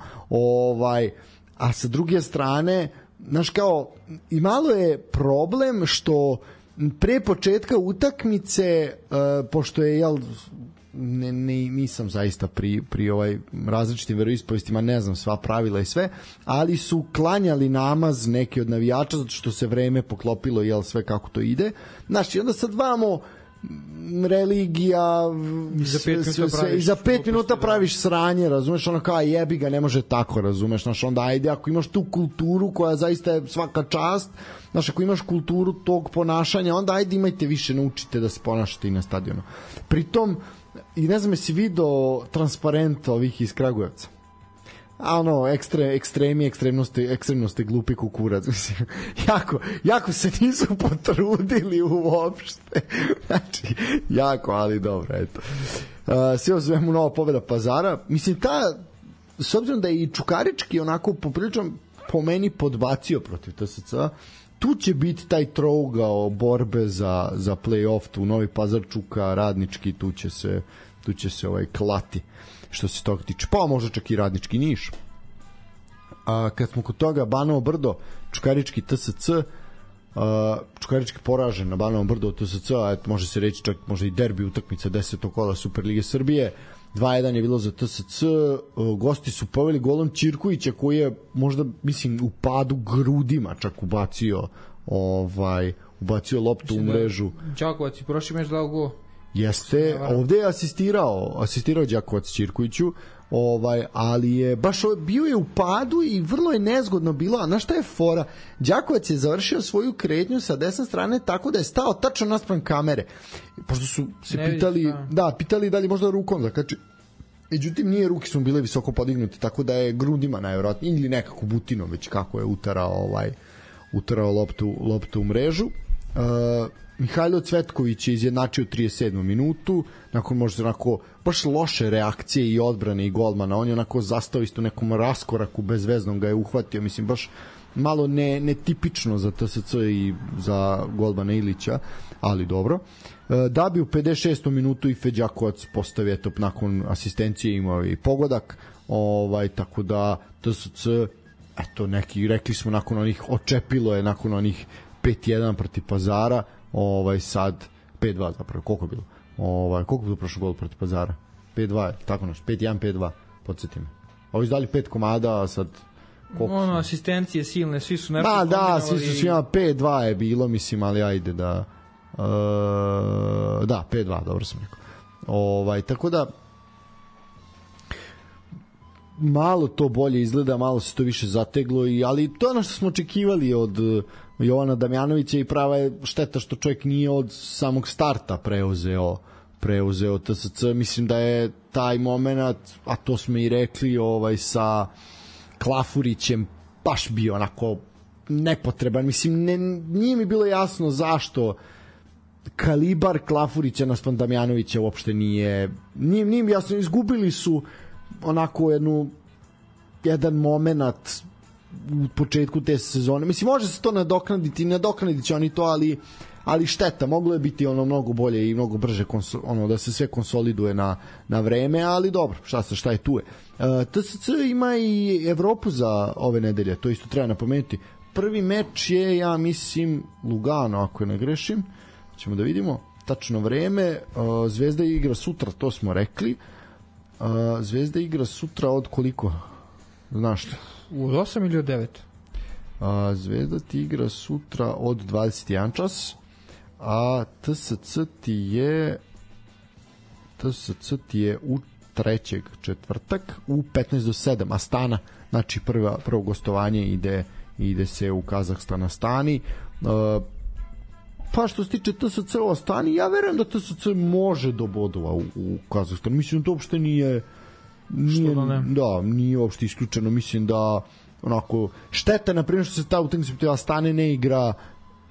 A sa druge strane, znaš kao, i malo je problem što pre početka utakmice, pošto je, nisam zaista pri različitim veroispovistima, ne znam sva pravila i sve, ali su klanjali namaz neki od navijača zato što se vreme poklopilo, sve kako to ide. Znaš, i onda sad vamo religija i za 5 minuta praviš sranje, razumeš, ono kao jebi ga, ne može tako, razumeš, znaš, onda ajde, ako imaš tu kulturu koja zaista je svaka čast, znaš, ako imaš kulturu tog ponašanja, onda ajde imajte više, naučite da se ponašate i na stadionu. Pritom, i ne znam jesi video transparent ovih iz Kragujevca, a ekstremnosti glupi kukurac, mislim, jako se nisu potrudili uopšte, znači, jako, ali dobro, eto. Sve o svemu nova pobeda Pazara, mislim, s obzirom da je i Čukarički onako poprilično po meni podbacio protiv TSC-a, tu će biti taj trougao borbe za play-off, tu Novi Pazar, Čuka, Radnički, tu će se klati što se toga tiče, pa možda čak i Radnički Niš. A kad smo kod toga, Banovo Brdo, Čukarički TSC, Čukarički poražen na Banovo Brdo od TSC, a može se reći čak možda i derbi utakmica 10. kola Superlige Srbije, 2-1 je bilo za TSC, gosti su poveli golom Ćirkovića koji je možda, mislim, u padu grudima čak ubacio loptu u mrežu. Đakovac i prošli meč dao gol. Jeste, ovde je asistirao Đakovac Ćirkoviću, ali je baš bio je u padu i vrlo je nezgodno bilo. A znaš šta je fora? Đakovac je završio svoju kretnju sa desne strane tako da je stao tačno naspram kamere, pošto su se pitali da li možda rukom zakači. Međutim, nije, ruke su bile visoko podignute, tako da je grudima najvjerojatnije ili nekako butinom već kako je utarao loptu u mrežu. Mihajlo Cvetković je izjednačio 37. minutu, nakon možda onako baš loše reakcije i odbrane i golmana, on je onako zastao isto nekom raskoraku, bezveznom ga je uhvatio, mislim baš malo netipično za TSC i za golmana Ilića, ali dobro. Da bi u 56. minutu i Feđakovac postavio, eto, nakon asistencije imao i pogodak, tako da TSC, eto, neki, rekli smo nakon onih, očepilo je nakon onih 5-1 protiv Pazara, sad 5-2 zapravo, koliko je bilo? Koliko je bilo prošlo gol protiv Pazara? 5-2, tako nešto, 5-1, 5-2, podsjeti me. Ovi izdali 5 komada, a sad asistencije silne, svi su nešto da, svi su svima 5-2 je bilo, mislim, ali ajde da 5-2, dobro sam rekao. Tako da malo to bolje izgleda, malo se to više zateglo, ali to je ono što smo očekivali od Jovana Damjanovića i prava je šteta što čovjek nije od samog starta preuzeo TSC. Mislim da je taj moment, a to smo i rekli, sa Klafurićem baš bio onako nepotreban. Mislim, nije mi bilo jasno zašto kalibar Klafurića na Damjanovića uopšte nije mi jasno. Izgubili su onako jedan moment u početku te sezone. Mislim, može se to nadoknadit će oni to, ali šteta, moglo je biti mnogo bolje i mnogo brže da se sve konsoliduje na vreme, ali dobro, šta je tu je. TSC ima i Evropu za ove nedelje, to isto treba napomenuti. Prvi meč je, ja mislim, Lugano, ako ne grešim, ćemo da vidimo tačno vreme. Zvezda igra sutra, to smo rekli. Zvezda igra sutra od koliko? Znaš što? Od 8 ili od 9? Zvezda ti igra sutra od 21 čas, a TSC ti je u trećeg četvrtak u 15 do 7 Astana, znači prvo gostovanje ide se u Kazahstan Astani. Pa što se tiče TSC u Astani, ja verujem da TSC može do bodova u Kazahstanu. Mislim da to uopšte nije uopšte isključeno. Mislim da onako šteta, na primjer, što se ta utakmica Astane ne igra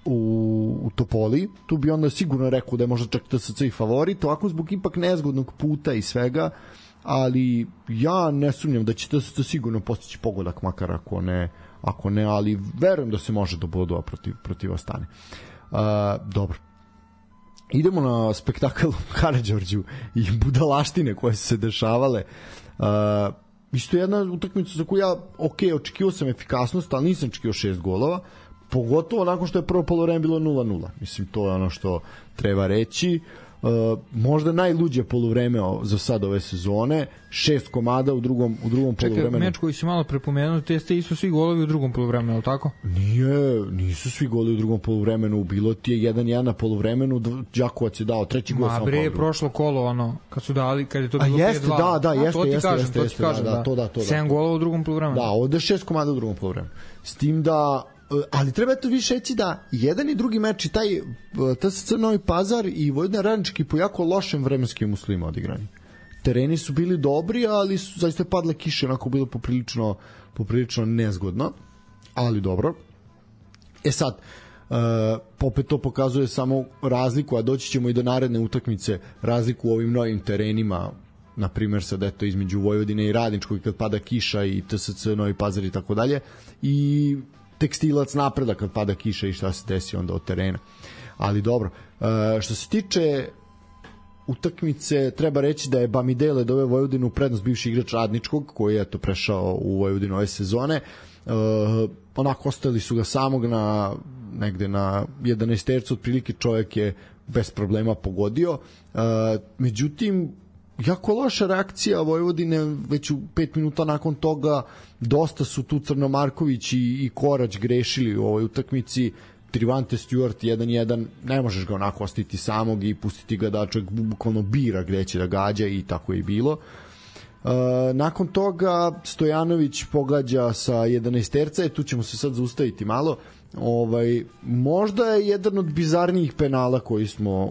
u Topoli, tu bi onda sigurno rekao da je možda čak TSC i favorit, ovako zbog ipak nezgodnog puta i svega, ali ja ne sumnjam da će TSC sigurno postići pogodak, makar ako ne, ali verujem da se može do bodova protiv Astane. Dobro, idemo na spektakl Karađorđu i budalaštine koje su se dešavale. Isto jedna utakmica za koju ja očekivao sam efikasnost, ali nisam očekivao 6 golova, pogotovo nakon što je prvo poluvreme bilo 0-0. Mislim, to je ono što treba reći. Možda najluđe poluvreme za sad ove sezone, 6 komada u drugom poluvremenu. Čekaj, meč koji si malo prepomenuo, te ste isto svi golovi u drugom poluvremenu, je li tako? Nisu svi golovi u drugom poluvremenu, bilo ti je 1-1 na poluvremenu, Đakovac je dao treći gol. Ma bre, prošlo kolo, kad su dali, kad je to bilo 5-2. Jeste, da. 7 golova u drugom poluvremenu. Da, ovde 6 komada u drugom poluvremenu. S tim da ali treba to više reći da jedan i drugi meč i taj TSC Novi Pazar i Vojvodina Radnički po jako lošem vremenskim uslovima odigrani. Tereni su bili dobri, ali su zaista padle kiše, onako bilo poprilično nezgodno, ali dobro. Sad, opet to pokazuje samo razliku, a doći ćemo i do naredne utakmice, razliku u ovim novim terenima, na primjer sad eto između Vojvodine i Radničkog kad pada kiša i TSC Novi Pazar i tako dalje, i Tekstilac Napreda kad pada kiša i šta se desi onda od terena. Ali dobro, što se tiče utakmice, treba reći da je Bamidele doveo Vojvodinu u prednost, bivši igrač Radničkog koji je eto prešao u Vojvodinu ove sezone. Onako ostali su ga samog negde na 11 otprilike, čovjek je bez problema pogodio. Međutim, jako loša reakcija Vojvodine, već u 5 minuta nakon toga dosta su tu Crnomarković i Korać grešili u ovoj utakmici. Trivante Stewart 1-1, ne možeš ga onako ostiti samog i pustiti ga da čovjek bukvalno bira gde će da gađa, i tako je bilo. Nakon toga Stojanović pogađa sa 11-terca, tu ćemo se sad zaustaviti malo. Možda je jedan od bizarnijih penala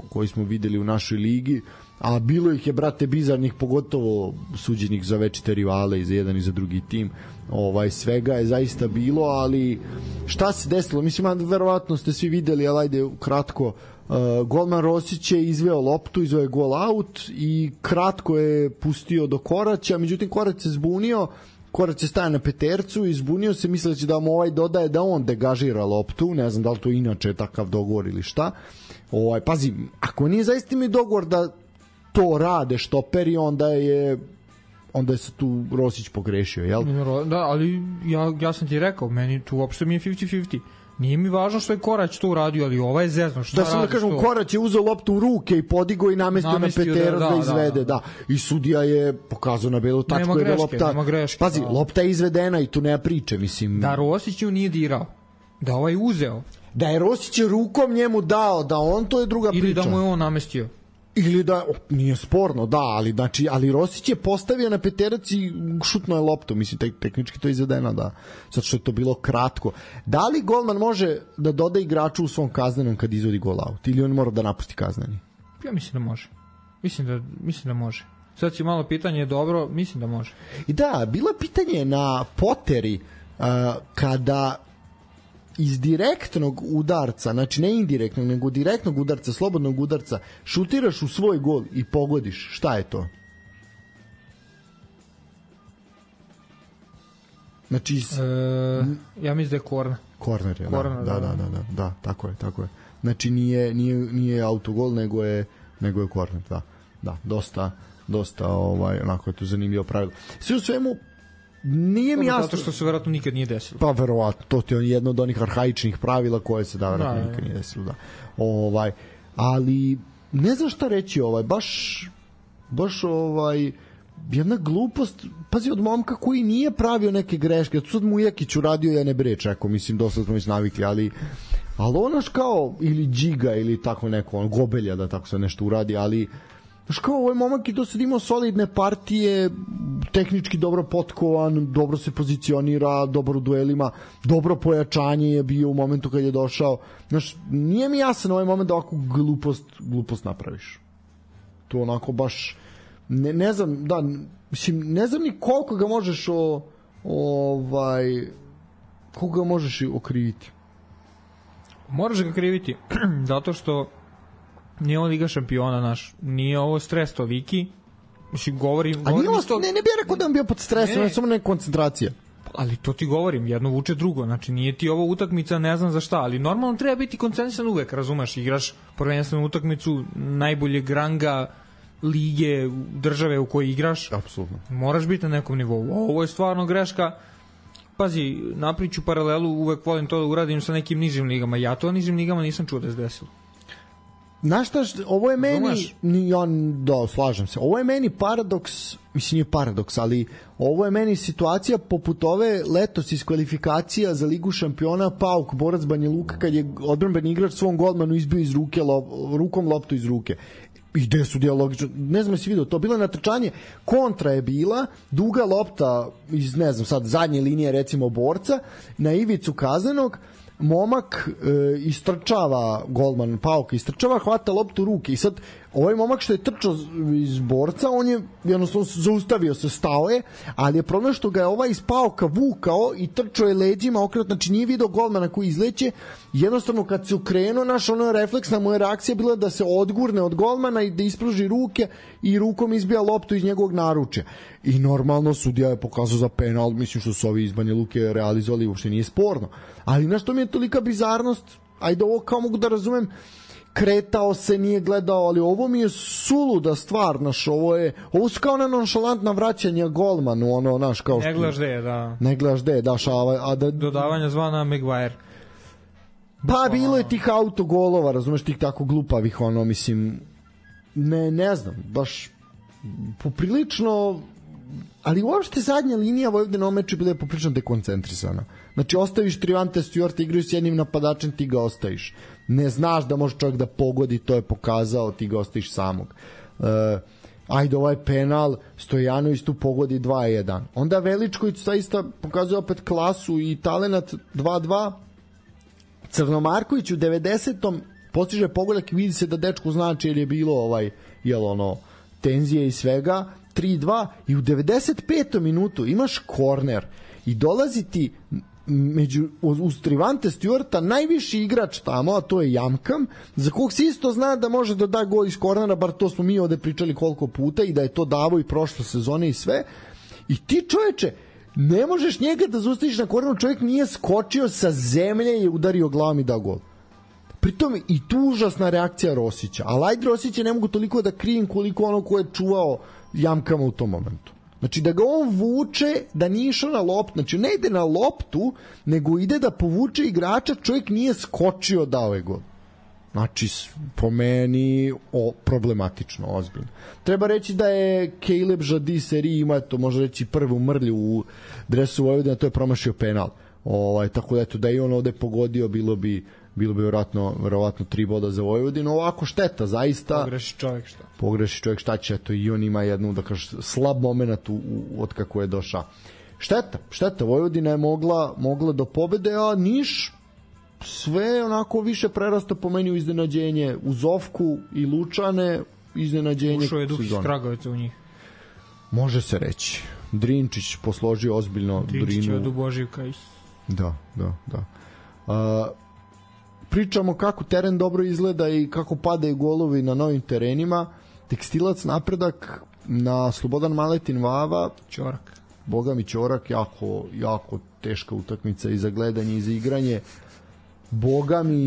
koji smo videli u našoj ligi, a bilo ih je, brate, bizarnih, pogotovo suđenih za večite rivale i za jedan i za drugi tim. Svega je zaista bilo, ali šta se desilo? Mislim, verovatno ste svi videli, ali ajde kratko. Golman Rosić je izveo loptu, izveo je gol out i kratko je pustio do Koraća, međutim Korać se zbunio, Korać je stajao na petercu i zbunio se, misleći da mu dodaje da on degažira loptu, ne znam da li to inače je takav dogovor ili šta. Pazi, ako nije zaista mi dogovor da to rade štoperi, onda se tu Rosić pogrešio, jel? Da, ali ja sam ti rekao, meni tu uopšte mi je 50-50. Nije mi važno što je Korać to uradio, ali ova je zezno. Da sam da kažem, Korać je uzeo loptu u ruke i podigo i namestio na peterac da izvede. Da. I sudija je pokazao na belu tačku. Nema greške. Pazi, lopta je izvedena i tu nema priče, mislim. Da Rosić ju nije dirao. Da ovaj uzeo. Da je Rosić rukom njemu dao, da on, to je druga priča. Ili da mu je on namestio. Ili da, nije sporno, da, ali Rosić je postavio na peterac i šutno je loptu, mislim, tehnički to je izvedeno, da, zato što je to bilo kratko. Da li golman može da doda igraču u svom kaznenom kad izvodi gol out, ili on mora da napusti kazneni? Ja mislim da može. Mislim da može. Sad si malo pitanje dobro, mislim da može. I da, bilo je pitanje na Poteri kada iz direktnog udarca, znači ne indirektnog, nego direktnog udarca, slobodnog udarca, šutiraš u svoj gol i pogodiš. Šta je to? Znači ja mislim da je korner. Korner je, da, tako je. Znači nije autogol, nego je korner, da, dosta onako je to zanimljivo pravilo. Sve u svemu nije mi jasno. Zato što se verovatno nikad nije desilo. Pa verovatno, to je jedno od onih arhaičnih pravila koje se verovatno nikad nije desilo, da. Ali ne znam šta reći, baš jedna glupost, pazi, od momka koji nije pravio neke greške, sad mu Jakić uradio, ja ne breč, mislim, dosta smo već navikli, ali onaš kao, ili Džiga, ili tako neko, Gobelja, da tako se nešto uradi, ali znaš kao, ovaj momak i do sad imao solidne partije, tehnički dobro potkovan, dobro se pozicionira, dobro u duelima, dobro pojačanje je bio u momentu kad je došao. Znaš, nije mi jasan ovaj moment da ovakvu glupost napraviš. To onako baš, ne znam, da, mislim, ne znam ni koliko ga možeš koliko ga možeš okriviti. Moraš ga kriviti, zato što nije ovo Liga šampiona naš, nije ovo stres toliki. Mislim, govorim ne bih rekao da on bio pod stresom, ne samo neka koncentracija. Ali to ti govorim, jedno vuče drugo, znači nije ti ovo utakmica ne znam za šta, ali normalno treba biti koncentrisan uvek, razumeš, igraš prvenstvenu utakmicu najboljeg ranga lige, države u kojoj igraš. Apsolutno. Moraš biti na nekom nivou. Ovo je stvarno greška. Pazi, napriču paralelu, uvek volim to da uradim sa nekim nižim ligama. Ja to nižim ligama nisam čuo da se desilo. Znaš šta, ovo je meni, slažem se, ovo je meni paradoks, mislim nije paradoks, ali ovo je meni situacija poput ove letos iz kvalifikacija za Ligu šampiona Pauk, borac Banja Luka, kad je odbranbeni igrač svom golmanu izbio iz ruke, rukom loptu iz ruke. I gde su dijalogično, ne znam jesi vidio, to bilo natrčanje, kontra je bila, duga lopta iz, ne znam sad, zadnje linije recimo borca, na ivicu kaznenog, momak istrčava, golman Pauka istrčava, hvata loptu u ruke i sad ovaj momak što je trčao iz borca, on je jednostavno zaustavio se, stao je, ali je problem što ga je ovaj iz Pauka vukao i trčao je leđima okrenut, znači nije video golmana koji izleće, jednostavno kad se ukrenuo, naš ono refleksna moja reakcija bila da se odgurne od golmana i da ispruži ruke i rukom izbija loptu iz njegovog naručja. I normalno sudija je pokazao za penal, mislim što su ovi iz Banja Luke realizovali, uopšte nije sporno. Ali na što mi je tolika bizarnost, ajde ovo kao mogu da razumem, kretao se, nije gledao, ali ovo mi je suluda stvar, naš, ovo su kao nonšalantna vraćanja golmanu, ono, naš, kao što... Ne gledaš gde, da. Ne gledaš gde, da, dodavanja zvana Maguire. Pa bilo je tih autogolova, razumeš, tih tako glupavih, ono, mislim, ne znam, baš poprilično, ali uopšte zadnja linija Vojvodina meča bila je poprilično dekoncentrisana. Znači, ostaviš Trivante Stewart, igraju s jednim napadačem, ti ga ostaviš. Ne znaš da može čovjek da pogodi, to je pokazao, ti ga ostaviš samog. Ajde, ovaj penal, Stojanović tu pogodi 2-1. Onda Veličković zaista pokazuje opet klasu i talenat 2-2. Crnomarković u 90. postiže pogodak i vidi se da dečku znači jer je bilo tenzije i svega, 3-2 i u 95. minutu imaš korner i dolazi ti uz Trivante Stewarta najviši igrač tamo, a to je Jamkam, za kog se isto zna da može da da gol iz kornera, bar to smo mi ovde pričali koliko puta i da je to davo i prošle sezone i sve. I ti, čoveče, ne možeš njega da zaustaviš na korneru, čovjek nije skočio sa zemlje i udario glavom i dao gol. Pritom i tu užasna reakcija Rosića, ali ajde Rosića ne mogu toliko da krivim koliko ono ko je čuvao Jamkama u tom momentu. Znači da ga on vuče, da nije išao na loptu, znači ne ide na loptu, nego ide da povuče igrača, čovjek nije skočio dao je gol. Znači, po meni problematično, ozbiljno. Treba reći da je Caleb Jadi Seri ima, to može reći, prvu mrlju u dresu Vojvodina, to je promašio penal. Tako da eto, da i on ovde pogodio, bilo bi verovatno 3 boda za Vojvodinu. Ovako šteta, zaista. Pogreši čovjek šta će, eto i on ima jednu, da kažeš, slab moment od kako je došao. Šteta, Vojvodina je mogla do pobede, a Niš sve onako više prerasta po meni u iznenađenje, u Zovku i Lučane, iznenađenje. Ušao je Duh iz Kragovica u njih. Može se reći. Drinčić posložio ozbiljno Drinu. Drinčić je od Boživka. Da. Pričamo kako teren dobro izgleda i kako padaju golovi na novim terenima. Tekstilac Napredak na Slobodan Maletin Vava. Ćorak. Boga mi Ćorak, jako teška utakmica i za gledanje i za igranje.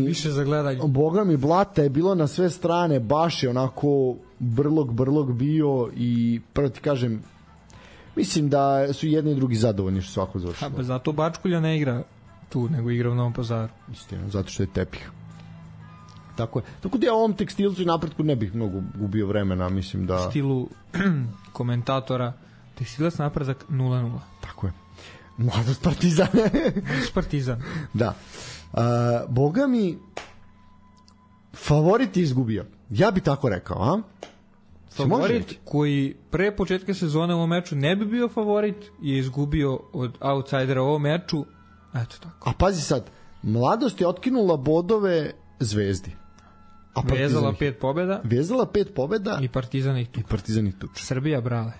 Više za gledanje. Boga mi blata je bilo na sve strane, baš je onako brlog bio i prvo ti kažem, mislim da su jedni i drugi zadovoljni što svako završilo. Pa zato Bačkulja ne igra tu, nego igra u Novom Pazaru. Istina, zato što je tepih. Tako je. Tako da ja ovom Tekstilcu i Napretku ne bih mnogo gubio vremena, mislim da... U stilu komentatora Tekstilac Napredak 0-0. Tako je. Mladost Partizan. Partizan. Da. Boga mi favorit je izgubio. Ja bi tako rekao, a? Favorit koji pre početka sezone u ovom meču ne bi bio favorit je izgubio od outsidera u ovom meču. Eto tako. A pazi sad, Mladost je otkinula bodove Zvezdi. Vezala 5 pobjeda. Vezala 5 pobjeda. I Partizan ih tuče. Srbija brale.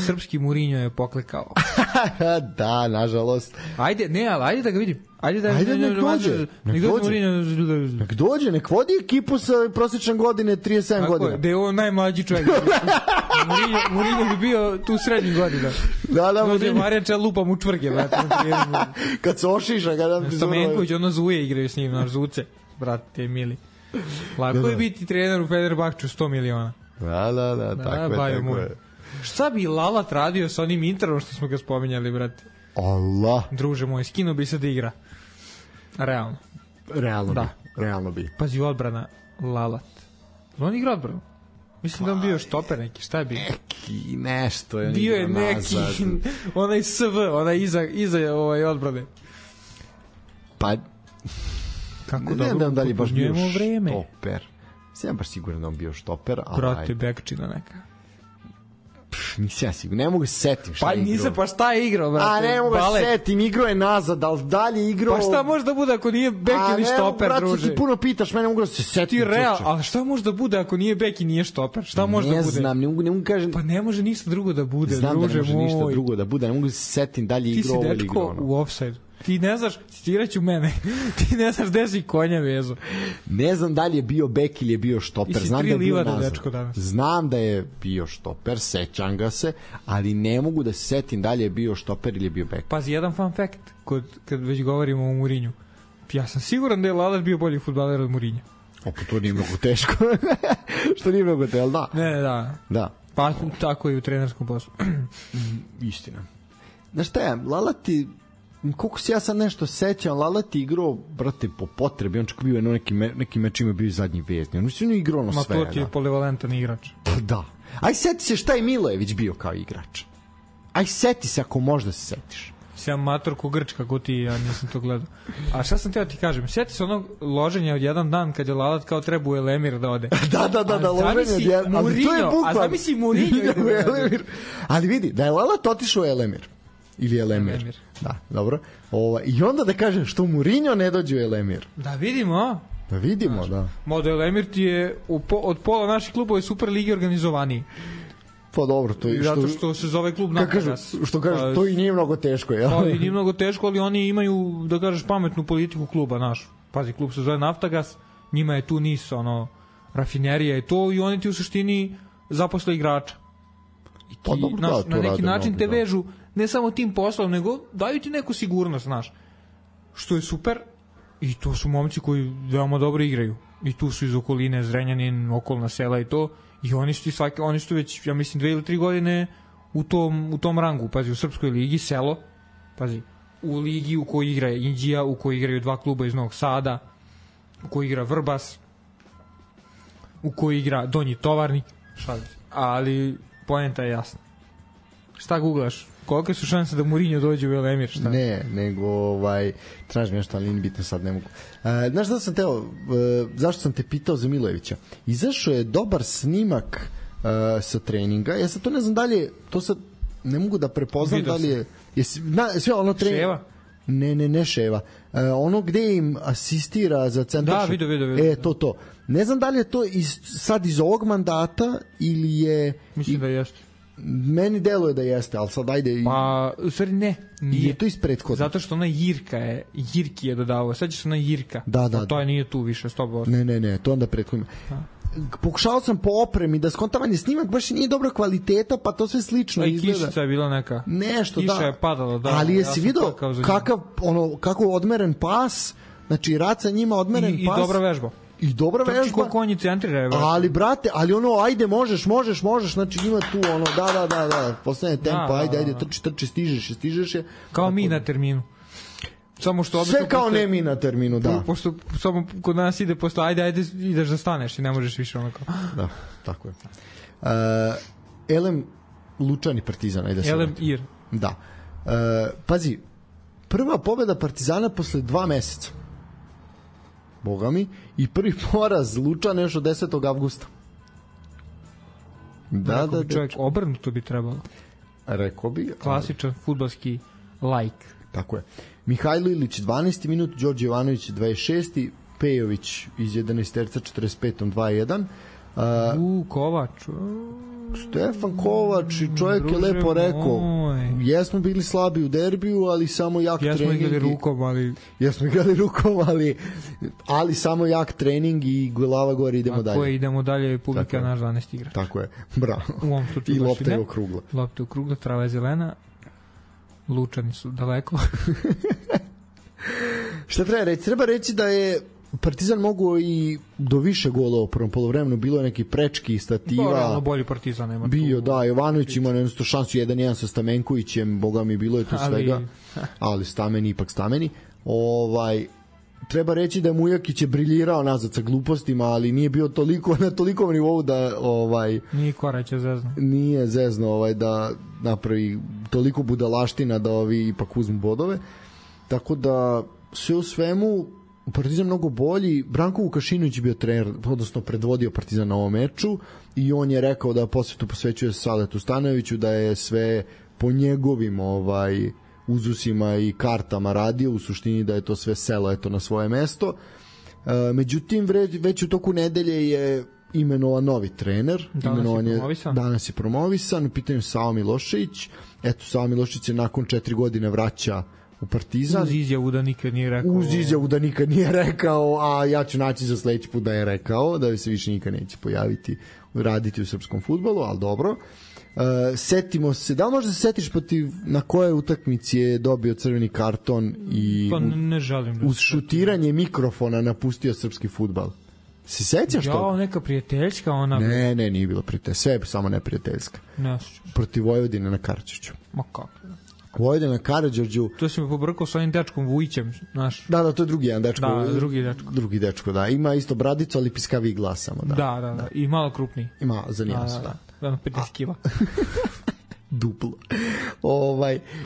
Srpski Mourinho je poklekao. Da, nažalost. Ajde da ga vidim. Ajde nek dođe, nek vodi ekipu sa prosječan godine 37 godina. Tako, da je on najmlađi čovjek. Mourinho bi bio tu srednjih godina. Da, Dođe Marjača, lupa mu čvrge. Kad se ošiša. Stamenković, ono Zuje igraju s njim, naš Zuce. Brate, mili. Lako je biti trener u Fenerbahču 100 miliona. Da, tako je. Šta bi Lalat radio sa onim Interom što smo ga spominjali, brate? Allah. Druže moj, skino bi se da igra. Realno bi. Pazi, odbrana Lalat. On igra odbranu? Mislim da on bio štoper neki, šta je bio? Neki nešto je. Bio je neki, onaj SV, onaj iza odbrane. Pa... Kako ne znam da li baš bio vreme. Štoper. Sam baš siguran da on bio štoper. Brate, bekčina neka. Nisam ja sigurno, ne mogu se setim šta je igrao. Pa šta je igrao, brate? A ne mogu se setim, igrao je nazad, ali dalje igrao... Pa šta može da bude ako nije bek ili štoper, brate, druže? Ti puno pitaš, mene mogu da se setim. Ti real, ali šta može da bude ako nije bek i nije štoper? Šta može da bude? Ne znam, ne mogu kažem... Pa ne može ništa drugo da bude, druže moj. Znam da ne može ništa drugo da bude, ne mogu se setim dalje igrao ili igrao. Ti si dečko u offside. Ti ne znaš, citiraću mene, ti ne znaš gde si konja vezu. Ne znam da li je bio bek ili je bio štoper. Znam da je bio nazad. Znam da je bio štoper, sećam ga se, ali ne mogu da se setim da li je bio štoper ili je bio bek. Pazi, jedan fun fact, kad već govorimo o Mourinhu. Ja sam siguran da je Lalat bio bolji fudbaler od Mourinha. To nije mnogo teško. Što nije mnogo teško, da. Ne, da. Pa tako i u trenerskom poslu. Istina. Znaš šta je, Lalati... Koliko se ja sad nešto sećam, Lalat je igrao, brate, po potrebi, on čak bio neki mečima bio zadnji vezni, on je igrao ono sve. Ma to ti je polivalentan igrač. Da. Aj seti se šta je Milojević bio kao igrač. Aj seti se ako možda se setiš. Sam mator ko Grč, kako ti, ja nisam to gledao. A šta sam teo ti kažem, sjeti se onog loženja od jedan dan kad je Lalat kao treba u Elemir da ode. Da, loženje od jedan dan. A zamisli Mourinho ide u Elemir. Ali vidi, da je Lalat otišao u Elemir. Ili Elemir. Da, dobro. I onda da kažem što Mourinho ne dođe u Elemir. Da vidimo. Da. Modo Elemir ti je od pola naših klubova Super Ligi organizovaniji. Pa dobro, to je zato što se zove klub Naftagaz. Što kažeš, to i nije mnogo teško, jel? Pa i nije mnogo teško, ali oni imaju, da kažeš, pametnu politiku kluba, naš. Pazi, klub se zove Naftagaz, njima je tu NIS, rafinerija i to, i oni ti u suštini zaposle igrača. I ti, pa dobro, na neki način te vežu ne samo tim poslom, nego daju ti neku sigurnost, znaš. Što je super, i to su momci koji veoma dobro igraju. I tu su iz okoline, Zrenjanin, okolna sela i to. I oni su već, ja mislim, 2 ili 3 godine u tom rangu. Pazi, u Srpskoj ligi, selo. Pazi, u ligi u kojoj igra Inđija, u kojoj igraju 2 kluba iz Novog Sada, u kojoj igra Vrbas, u kojoj igra Donji Tovarnik. Ali poenta je jasna. Šta googlaš? Kolike su šanse da Mourinho dođe u Elemir? Šta? Ne, nego tražim nešto, ali nije bitno, sad ne mogu. Znaš šta sam teo, zašto sam te pitao za Milojevića? Izašao je dobar snimak sa treninga, ja sad to ne znam dalje, to sad ne mogu da prepoznam da li je sve ono trening. Ševa? Ne Ševa. Ono gde im asistira za centar. Da, vidio. To. Ne znam da li je to sad iz ovog mandata ili je... Mislim da jeste. Meni deluje da jeste, ali sad ajde... Pa, u stvari ne. Nije. Je to iz prethodna. Zato što ona Jirki je dodavao. Sad će se ona Jirka. Da. To je nije tu više, 100%. Ne, to onda prethodno. Pokušao sam po opremi da skontavan snimak baš nije dobra kvaliteta, pa to sve slično izgleda. Kišica je bila neka. Nešto, Kiša je padala, da. Ali jesi vidio kako odmeren pas, znači Raca njima odmeren pas. I dobra vežba. I dobra vežba. Trči ko konji centrira. Ali brate, ajde možeš, znači ima tu da, postane tempo, ajde, trči, stižeš je. Kao mi na terminu. Samo što sve kao ne mi na terminu, da. Pošto samo kod nas ide posle, ajde, ideš da staneš i ne možeš više onako. Da, tako je. Elem Lučani Partizan, ajde se. Elem Ir. Da. Pazi, prva pobeda Partizana posle 2 meseca. Boga mi. I prvi poraz Lučana još od 10. avgusta. Da. Čovjek obrnuto bi trebalo. Rekao bi. Klasičan fudbalski like. Tako je. Mihajlo Ilić 12. minut, Đorđe Jovanović 26. Pejović iz 11 terca 45. 2-1. Kovač. Stefan Kovač, čovjek je lepo rekao. Jesmo bili slabi u derbiju, ali samo jak trening. Jesmo igrali rukom, ali samo jak trening i glava gore, idemo dalje. Tako je, idemo dalje, publika naš 12 igrač. Tako je, bravo. U ovom slučaju i lopta je okrugla. Lopta je okrugla, trava je zelena. Lučani su daleko. Šta treba reći? Treba reći da je Partizan mogao i do više gola u prvom polovremenu, bilo je neki prečki stativa. Realno bolji Partizan nema. Bio, da, Jovanović ima nešto šansu 1-1 sa Stamenkovićem, boga mi bilo je tu svega, ali ipak stameni. Treba reći da je Mujakić je briljirao nazad sa glupostima, ali nije bio na tolikom nivou da nije Korać zezno. Nije zezno da napravi toliko budalaština da ovi ipak uzmu bodove. Tako da sve u svemu Partizan mnogo bolji. Branko Vukašinović je bio trener, odnosno predvodio Partizan na ovom meču i on je rekao da posvetu posvećuje Saletu Stanojeviću, da je sve po njegovim uzusima i kartama radio, u suštini da je to sve selo na svoje mesto. Međutim, već u toku nedelje je imenovan novi trener. Danas je promovisan. U pitanju Savo Milošević. Savo Milošević se nakon 4 godine vraća u Partizan. Uz izjavu da nikad nije rekao. A ja ću naći za sledeći put da je rekao, da se više nikad neće pojaviti, raditi u srpskom fudbalu, ali dobro. Setimo se, da li možda se setiš na koje utakmici je dobio crveni karton i ne želim uz šutiranje mikrofona napustio srpski fudbal? Se sećaš toga? Neka prijateljska ona? Ne, nije bilo prijateljska, sve je samo neprijateljska. Protiv Vojvodine na Karađorđu. Ma kako? Vojvodina na Karađorđu. To si me pobrkao sa onim dečkom Vujićem, znaš. Da, to je drugi jedan dečko. Da, drugi dečko. Da. Ima isto bradicu, ali piskavi glas samo. Da. I malo krupniji. Ima za nijansu, da. 50 kila. Duplo.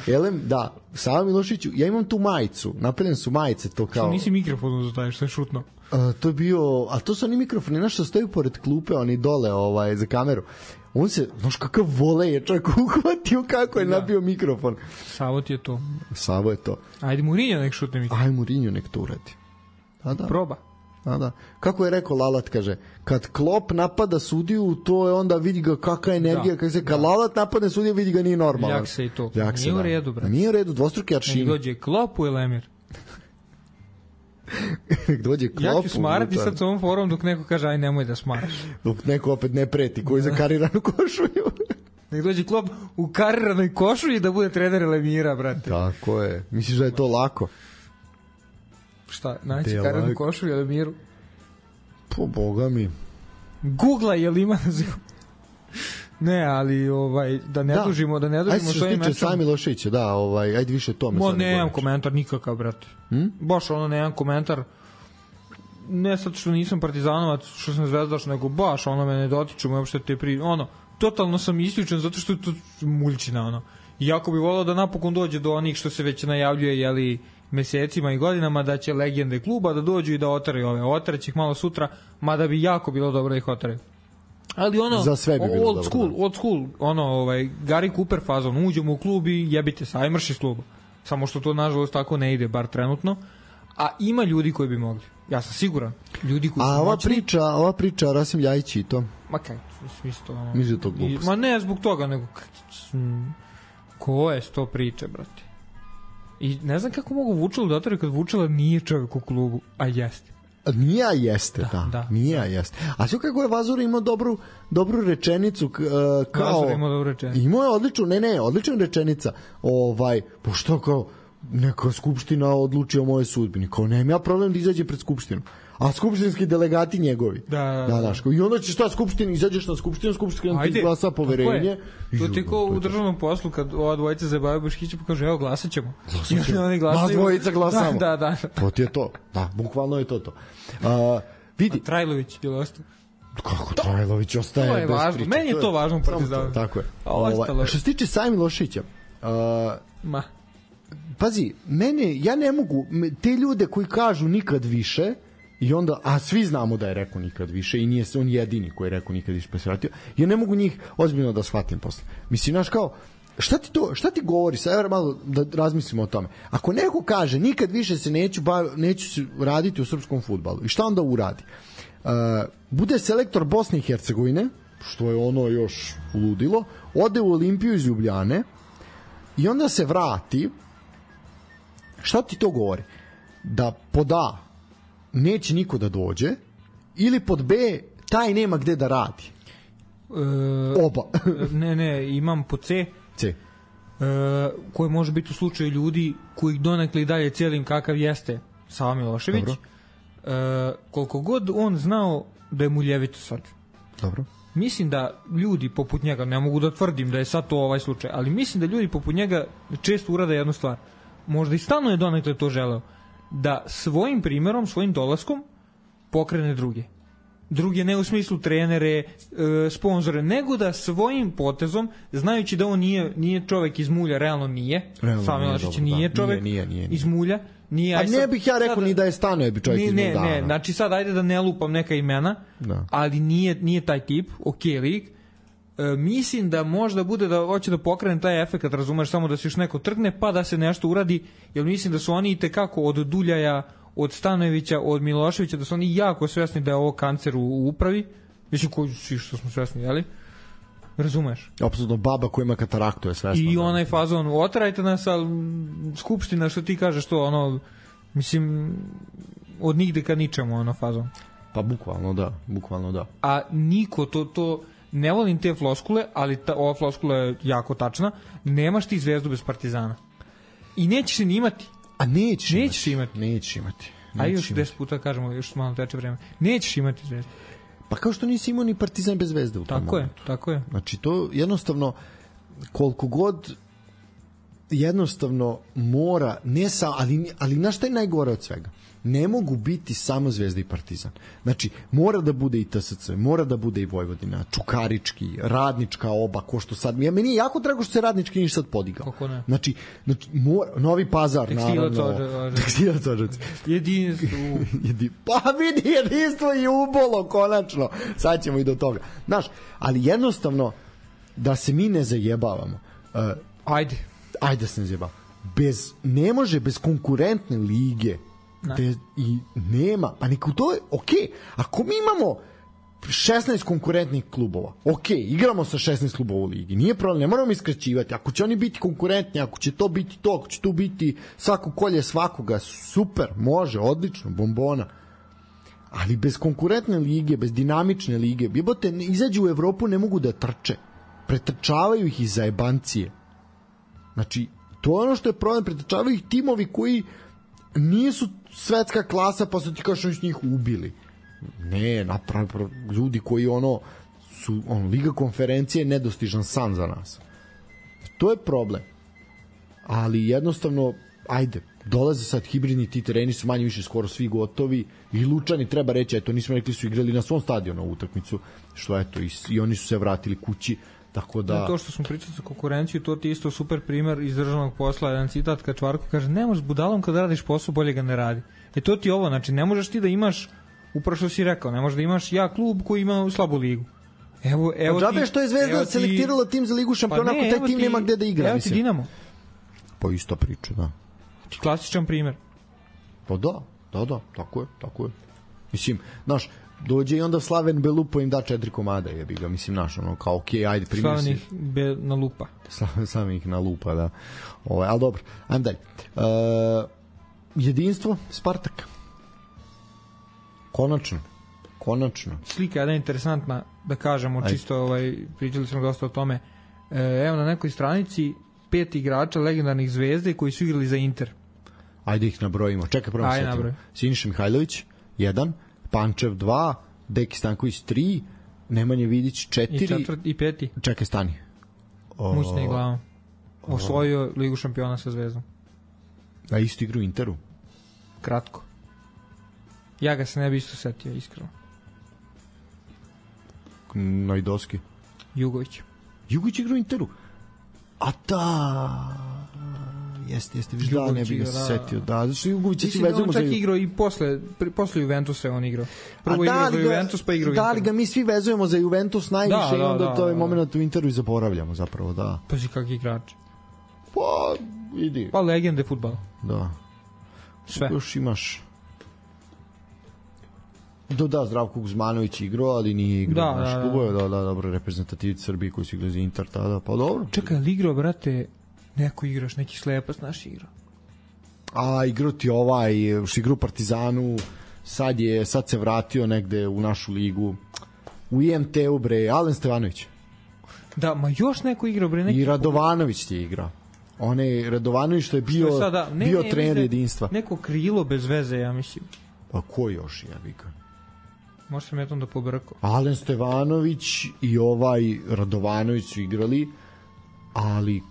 Elem, da, Sava Milošiću, ja imam tu majicu, napravljene su majice, to kao... Što nisi mikrofon zataješ, što je šutno? To je bio, a to su oni mikrofoni, znaš što stoju pored klupe, oni dole za kameru. On se, znaš kakav vole je čovjek uhvatio kako je nabio mikrofon. Savo ti je to. Savo je to. Ajde Mourinho nek šutne mikrofon. Ajde Mourinho nek to uradi. Da. Proba. Da. Kako je rekao Lalat, kaže, kad Klopp napada sudiju, to je onda vidi ga kakva energija, kad Lalat napadne sudiju, vidi ga nije normalan. Ljak se i to. Nije u redu, brate. Nije u redu, dvostruki aršini. Nek dođe Klopp u Elemir. Nek dođe Klopp. Ja ću smarati sad s ovom forum dok neko kaže aj nemoj da smaraš. Dok neko opet ne preti, koji za kariranu košulju. Nek dođe Klopp u kariranoj košulji da bude trener Elemira, brate. Tako je. Misliš da je to lako? Šta, naći kariranu košulju Elemiru? Po boga mi. Googla je li ima naziv? Ne, ali da ne dužimo s ovim mečom. Ajde što se tiče Sava Miloševića, ajde više tome. Nemam komentar nikakav, brate. Baš nemam komentar. Ne sad što nisam partizanovac, što sam zvezdaš, nego baš me ne dotiču, uopšte te totalno sam isključen zato što je to muljčina, Iako bi volao da napokon dođe do onih što se već najavljuje, mesecima i godinama, da će legende kluba da dođu i da otaraju ove. Otaraće ih malo sutra, mada bi jako bilo dobro da ih otaraju. Ali za sve bi bilo old school, Gary Cooper fazon, uđemo u klub i jebite se, aj mrš iz kluba. samo što to nažalost tako ne ide, bar trenutno, a ima ljudi koji bi mogli. Ja sam siguran. Ljudi koji su moćni. Ova priča Rasim Ljajić i to. Ma kaj, isto ono. Mislim da to glupost. Ma ne zbog toga, nego ko je sto priče, brate. I ne znam kako mogu Vučelu da otvore kad Vučela nije čovjek u klubu, a jeste. Nije, a jeste, da. Nije, a jeste. A sve kako je Vazura imao dobru rečenicu kao... Vazura imao dobru rečenicu. Imao je odlična rečenica. Pa što kao, neka skupština odluči o moje sudbini. Kao, nemam ja problem da izađe pred skupštinu. A skupštinski delegati njegovi. Da. I onda će skupština, izađeš na skupština ti izglasa poverenje. To ti ko u državnom poslu kad ova dvojica zabavaju Boškića pa kaže, evo glasat ćemo. Nas dvojica glasamo. Da. To ti je to. Da, bukvalno je to. Vidi. A Trajlović je ostao. Kako Trajlović ostaje bez važno. priče? Meni je to važno u Partizanu. Tako je. Što se tiče Sami Miloševića, pazi, ja ne mogu, te ljude koji kažu nikad više, i onda, a svi znamo da je rekao nikad više i nije on jedini koji je rekao nikad više pa se vratio, ja ne mogu njih ozbiljno da shvatim posle. Mislim, znaš kao, šta ti govori, sad malo da razmislimo o tome. Ako neko kaže nikad više se neću raditi u srpskom fudbalu, i šta onda uradi? Bude selektor Bosne i Hercegovine, što je ono još ludilo, ode u Olimpiju iz Ljubljane i onda se vrati. Šta ti to govori? Da pod A neće niko da dođe, ili pod B taj nema gde da radi? Oba. ne, imam pod C. Koji može biti u slučaju ljudi koji donekle i dalje cijelim kakav jeste Sava Milošević. Koliko god on znao da je muljevito sad. Dobro. Mislim da ljudi poput njega, ne mogu da tvrdim da je sad to ovaj slučaj, ali mislim da ljudi poput njega često urade jednu stvar. Možda i stalno je donekle to želeo, da svojim primjerom, svojim dolaskom pokrene druge ne u smislu trenere, sponzore, nego da svojim potezom, znajući da on nije čovjek iz mulja, realno nije, Sava Milošević nije čovjek iz mulja, nije. A ne bih ja rekao ni da je Stanojević čovjek iz mulja. Ne, znači sad ajde da ne lupam neka imena, ali nije taj tip, lik. Mislim da možda bude da hoće da pokrene taj efekat, razumeš, samo da se još neko trgne pa da se nešto uradi, jer mislim da su oni itekako od Duljaja, od Stanojevića, od Miloševića, da su oni jako svjesni da je ovo kancer u upravi. Mislim, koji svi što smo svjesni, jeli? Razumeš? Apsolutno, baba koja ima kataraktu je svesna. I onaj fazon, oterajte nas, ali skupština, što ti kažeš to, ono, mislim, od nigde ka ničemu, ono, fazon. Pa bukvalno da. A niko to ne volim te floskule, ali ova floskula je jako tačna, nemaš ti Zvezdu bez Partizana. I nećeš se ni imati. A nećeš imati. A još 10 puta kažemo, još malo teče vreme. Nećeš imati Zvezdu. Pa kao što nisi imao ni Partizan bez Zvezde u tom momentu. Tako je. Znači to jednostavno, koliko god jednostavno mora, ali znaš šta je najgore od svega? Ne mogu biti samo Zvezda i Partizan. Znači, mora da bude i TSC, mora da bude i Vojvodina, Čukarički, Radnička oba, ko što sad... Meni je jako drago što se Radnički niš sad podigao. Kako ne? Znači Novi Pazar, naravno. Tekstilac Odžac. Jedinstvo. Pa vidi, jedinstvo i ubolo, konačno. Sad ćemo i do toga. Znaš, ali jednostavno, da se mi ne zajebavamo. Ajde se ne zajebavamo. Ne može bez konkurentne lige i nema, pa neko to je okej. Ako mi imamo 16 konkurentnih klubova, igramo sa 16 klubova u ligi, nije problem, ne moramo iskraćivati. Ako će oni biti konkurentni, ako će to biti to, ako će tu biti svako kolje svakoga, super, može, odlično, bombona. Ali bez konkurentne lige, bez dinamične lige, izađu u Evropu, ne mogu da trče, pretrčavaju ih iz zajebancije. Znači, to je ono što je problem, pretrčavaju ih timovi koji nisu svetska klasa, pa su ti kao što njih ubili. Ne, napravno, ljudi koji su Liga konferencije nedostižan san za nas. To je problem. Ali jednostavno, ajde, dolaze sad hibridni, ti tereni su manje više skoro svi gotovi i Lučani, treba reći, eto, nismo rekli, su igrali na svom stadionu u utakmicu, što eto, i oni su se vratili kući. Tako da... To što smo pričali sa konkurenciju, to ti je isto super primer iz državnog posla, jedan citat Kačvarko kaže, ne možeš budalom kad radiš posao, bolje ga ne radi. To ti je ovo, znači ne možeš ti da imaš, upravo što si rekao, ne možeš da imaš klub koji ima slabu ligu. Evo džabe što je Zvezda selektirala tim za Ligu šampiona, ako taj tim nema gde da igra. Evo ti Dinamo. Pa isto priča, da. Klasičan primer. Pa da, tako je. Mislim, znaš, dođe i onda Slaven Belupo im da 4 komada, jebi ga, mislim, naš, ono, kao, okej, ajde, primjer si. Slaven ih na lupa. Slaven ih na lupa, da. Ali dobro, ajmo dalje. Jedinstvo, Spartak. Konačno. Slika je interesantna, da kažemo, čisto, pričali smo dosta o tome. Evo na nekoj stranici 5 igrača legendarnih Zvezde koji su igrali za Inter. Ajde ih nabrojimo. Čekaj, prvo setimo. Siniša Mihajlović, 1, Pančev 2, Deki Stanković 3, Nemanja Vidić 4 i 5. Čekaj, stani. Mućne glavom. Osvojio Ligu šampiona sa Zvezdom. A isto igru Interu? Kratko. Ja ga se ne bi isto setio, iskreno. Najdoski. Jugović igru Interu? A da... Jeste, viš da, ne bih ga se setio. Da, znači Jugovića si vezujemo za... On čak igrao i posle Juventusa je on igrao. Prvo igrao za Juventus, pa igrao Inter. Da li ga mi svi vezujemo za Juventus najviše i onda to je moment u Interu i zaboravljamo zapravo, da. Pazi kak igrač. Pa, idi. Pa legende fudbala. Da. Sve. Još imaš... Da, Zdravko Guzmanović igrao, ali nije igrao naš klubove, da, dobro, reprezentativici Srbije koji su igrali za Inter tada, pa dobro. Čekaj, ali igrao, brate, neko igraš, neki slepac naš igrao. A, igrao ti što igrao Partizanu, sad se vratio negde u našu ligu, u IMT-u, bre, Alen Stevanović. Da, ma još neko igrao, bre, neki... I Radovanović ti je igrao. Onaj Radovanović što je bio trener jedinstva. Neko krilo bez veze, ja mislim. Pa ko još, ja bih ga? Možda sam jednom da pobrkao. Alen Stevanović i Radovanović su igrali, ali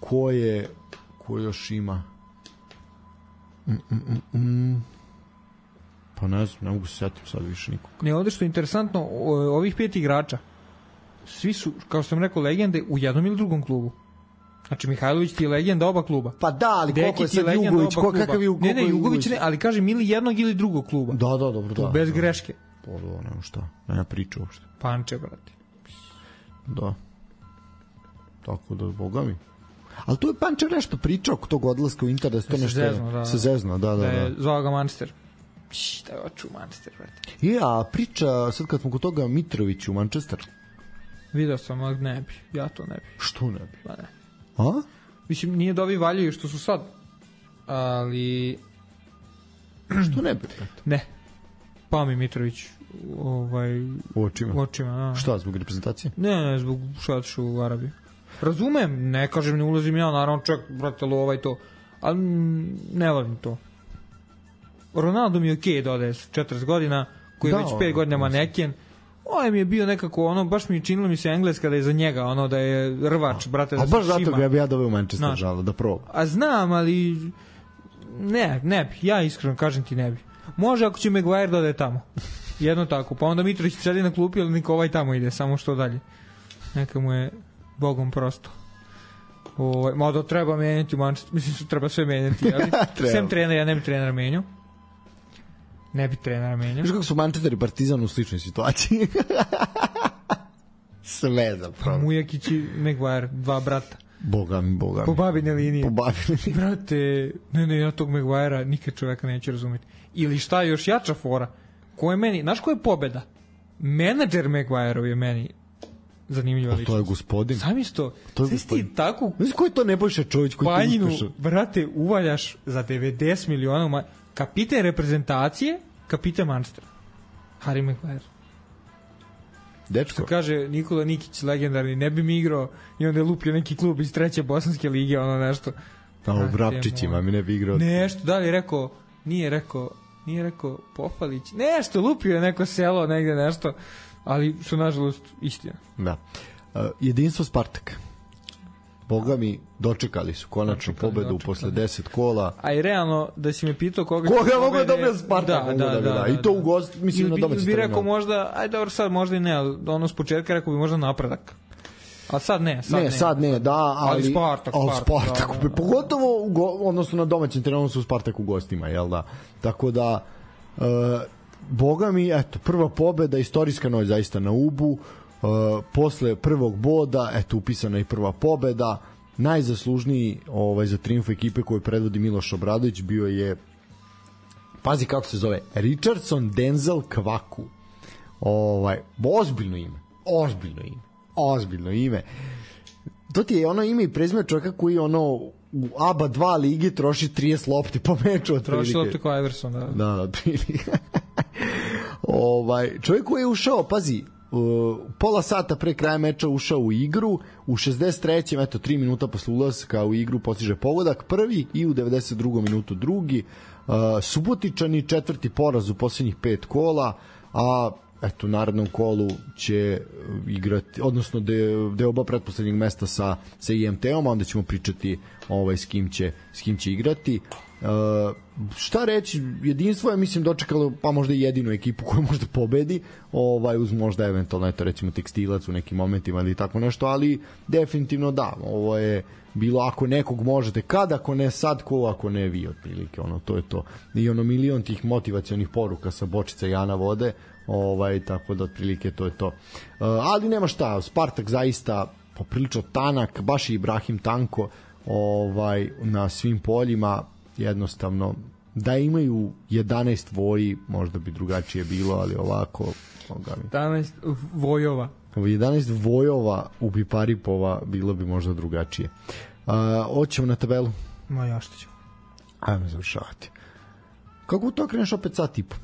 ko još ima? Pa ne znam, ne mogu se setiti sad više nikog. Ne, ovdje što je interesantno, ovih 5 igrača, svi su, kao što sam rekao, legende u jednom ili drugom klubu. Znači, Mihajlović ti je legenda oba kluba. Pa da, ali koliko je sad Jugović? Kakav je Jugović? Ne, Jugović ne, ali kažem ili jednog ili drugog kluba. Da, dobro, da. Bez greške. Pa da, nema šta, nema priča uopšte. Panče, brate. Da. Tako da, boga mi. Ali to je Panče nešto pričao oko tog odlaska u Inter, da se to nešto... Se zezno, da. Da je zvao ga Manchester. Da je oču Manchester, brate. A priča, sad kad smo kod toga, Mitrović u Manchester. Vidio sam, ali ne bi. Ja to ne bi. Što ne bi? Pa ne. A? Mislim, nije da ovi valjaju što su sad, ali... Što ne bi? Ne. Pa mi Mitrović u očima, da. Šta, zbog reprezentacije? Ne, zbog šatšu u Arabiju. Razumem, ne kažem, ne ulazim ja, naravno čak, brate, to, ali ne volim to. Ronaldo mi je okej da ode 40 godina, koji je već 5 godina maneken. Ovo mi je bio nekako, baš mi činilo mi se Engleska da je za njega, da je rvač, brate, da se šima. A baš zato ga bi ja doveo u Manchester, žalo, da proba. A znam, ali ne bi, ja iskreno kažem ti ne bi. Može ako će Maguire da ode tamo. Jedno tako, pa onda Mitrović sedi na klupi, ali niko tamo ide, samo što dalje. Neka mu je bogom prosto. Mada treba menjati u Manchester, mislim što treba sve menjati, ali sem trenera, ja ne bi trenera menjao. Ne bi trenera menjao. Viš kako su Manchester i Partizan u sličnoj situaciji? Sve zapravo. Mujakić i Maguire, 2 brata. Boga mi. Po babine linije. Brate, ne, ja tog Maguirea nikad čoveka neće razumjeti. Ili šta je još jača fora? Ko je meni, znaš ko je pobeda? Menadžer Maguireov je meni zanimljiva ličnost. To je gospodin. Sam isto. Znaš ti tako... Znaš ko je to Nebojša Čović koji Panjinu, te uspešao? Brate, uvaljaš za 90 miliona kapiten reprezentacije, kapiten Manchester. Harry Maguire. Dečko. Što kaže Nikola Nikić, legendarni, ne bi mi igrao i onda je lupio neki klub iz 3. bosanske lige, nešto. Pa u Vrapčićima mi ne bi igrao. Nešto, da li je rekao, nije rekao Pofalić, nešto, lupio je neko selo, negde nešto, ali su nažalost istina. Da. Jedinstvo Spartak. Boga mi, dočekali su konačno pobedu posle 10 kola. A i realno, da si me pitao koga mogu da dobije Spartak? Da. I to u gost, mislim na domaći bi rekao možda, ajde dobro, sad možda i ne, ali s početka rekao bi možda Napredak. A sad ne. Sad ne, da, ali Spartak. Da. Pogotovo, odnosno na domaćem terenu su Spartak u gostima, jel da? Tako da, boga mi, eto, prva pobeda, istorijska noć zaista na Ubu, posle prvog boda, eto, upisana i prva pobeda, najzaslužniji za triumf ekipe koju predvodi Miloš Obradović bio je, pazi kako se zove, Richardson Denzel Kvaku. Ozbiljno ime. To ti je ono ime i prezime čovjeka koji u ABA 2 ligi troši 30 lopti po meču. Troši lopti kao Everson, da. Da, otprilike. Čovjek koji je ušao, pazi, pola sata pre kraja meča ušao u igru, u 63. 3 minuta posle ulaska u igru postiže pogodak prvi i u 92. minutu drugi. Subotičani 4. poraz u posljednjih 5 kola, a u narednom kolu će igrati, odnosno da je oba pretposlednjeg mesta sa IMT-om, a onda ćemo pričati s kim će igrati. Šta reći, jedinstvo je mislim dočekalo pa možda i jedinu ekipu koju možda pobedi, uz možda eventualno recimo Tekstilac u nekim momentima ili tako nešto, ali definitivno da, ovo je bilo ako nekog možete kad, ako ne sad, ko ako ne vi, otprilike, to je to. I milion tih motivacionih poruka sa bočica Jana vode, tako da otprilike to je to. Ali nema šta, Spartak zaista poprilično tanak, baš i Ibrahim tanko na svim poljima, jednostavno da imaju 11 voji možda bi drugačije bilo, ali ovako 11 vojova 11 vojova u Biparipova bilo bi možda drugačije. Hoćemo na tabelu? Ja što ćemo. Ajmo završavati. Kako to kreneš opet sat i po?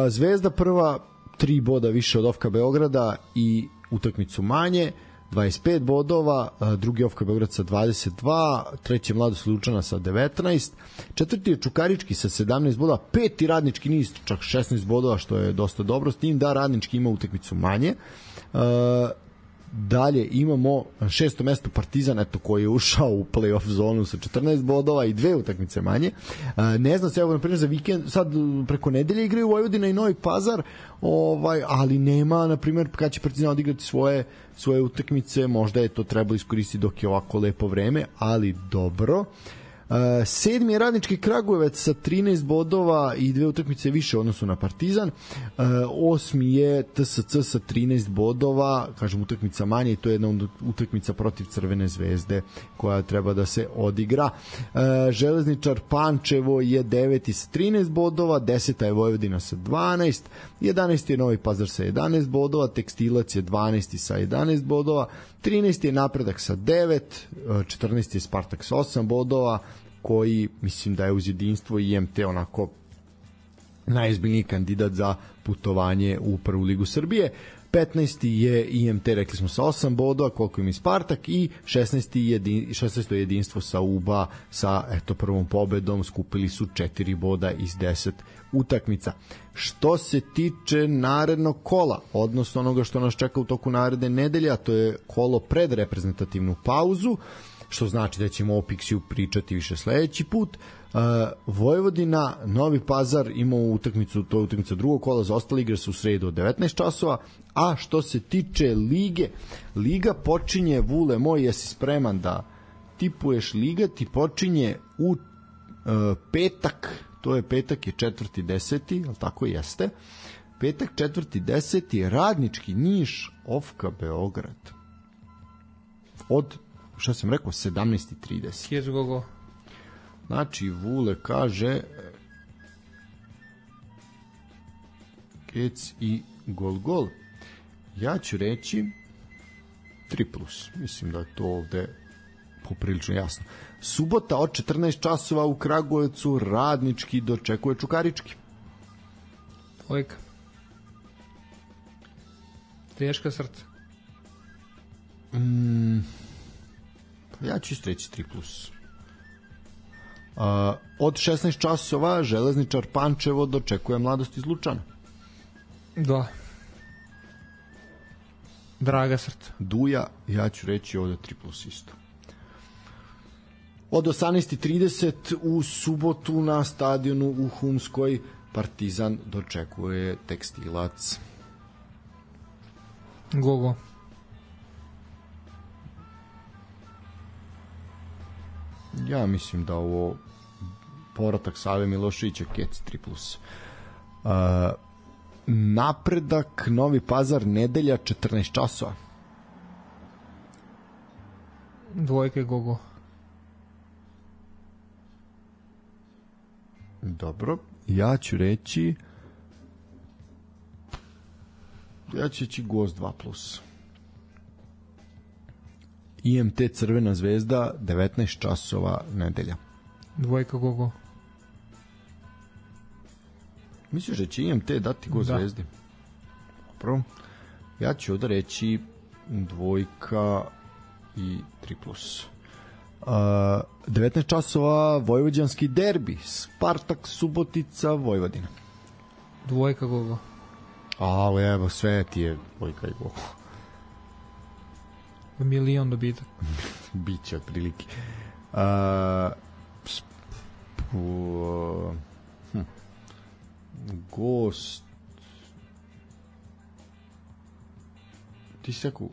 Zvezda prva 3 boda više od OFK Beograda i utakmicu manje, 25 bodova, drugi OFK Beograd sa 22, treći je Mladost Lučana sa 19, četvrti je Čukarički sa 17 bodova, peti Radnički niz čak 16 bodova, što je dosta dobro, s tim da Radnički ima utakmicu manje. Dalje imamo 6. mesto Partizan, koji je ušao u play-off zonu sa 14 bodova i 2 utakmice manje. Ne znam se, evo na primjer za vikend, sad preko nedelje igraju Vojvodina i Novi Pazar, ali nema, na primjer, kad će Partizan odigrati svoje utakmice, možda je to trebalo iskoristiti dok je ovako lepo vreme, ali dobro. 7. je Radnički Kragujevac sa 13 bodova i 2 utakmice više u odnosu na Partizan. 8. je TSC sa 13 bodova, kažem utakmica manje, i to je jedna utakmica protiv Crvene zvezde koja treba da se odigra. Železničar Pančevo je 9. sa 13 bodova, 10. je Vojvodina sa 12, 11. je Novi Pazar sa 11 bodova, Tekstilac je 12. sa 11 bodova, 13. je Napredak sa 9, 14. je Spartak sa 8 bodova, koji mislim da je uz jedinstvo i IMT onako najozbiljniji kandidat za putovanje u prvu ligu Srbije. 15. je IMT, rekli smo, sa 8 bodova, koliko im je Spartak, i 16. je jedinstvo sa UBA sa prvom pobedom, skupili su 4 boda iz 10 utakmica. Što se tiče narednog kola, odnosno onoga što nas čeka u toku naredne nedelje, a to je kolo pred reprezentativnu pauzu, što znači da ćemo o Pixiju pričati više sledeći put. Vojvodina, Novi Pazar ima utakmicu, to je utakmica drugog kola, za ostale igre su u sredu od 19 časova, a što se tiče lige, liga počinje, Vule moj, jesi spreman da tipuješ? Liga ti počinje u petak, to je petak je 4.10, ali tako jeste, petak 4.10, Radnički Niš, OFK Beograd, od, šta sam rekao, 17.30. Kjez gogo. Znači, Vule kaže Kec i gol. Ja ću reći 3+. Mislim da je to ovde poprilično jasno. Subota od 14 časova u Kragujevcu, Radnički dočekuje Čukarički. Ojka. Teška srca. Ja ću isto reći 3+. Od 16 časova Železničar Pančevo dočekuje Mladost iz Lučana. Da. Draga srca. Duja, ja ću reći ovde 3+ isto. Od 18.30 u subotu na stadionu u Humskoj Partizan dočekuje Tekstilac. Gogo. Ja mislim da ovo povratak Save Miloševića, Kec 3+. Napredak Novi Pazar nedelja 14 časova. Dvojka Gogo. Dobro, ja ću reći Gost 2+. IMT Crvena zvezda 19 časova nedelja. Dvojka Gogo. Misliš da će IMT dati Gost Zvezdi? Dobro. Ja ću ovdje reći dvojka i 3+. 19 časova vojvođanski derbi. Spartak Subotica Vojvodina. Dvojka Gogo. Ali evo, sve ti je dvojka i Gogo. Milion dobitak. Biće otprilike. Gost. Ti si rekao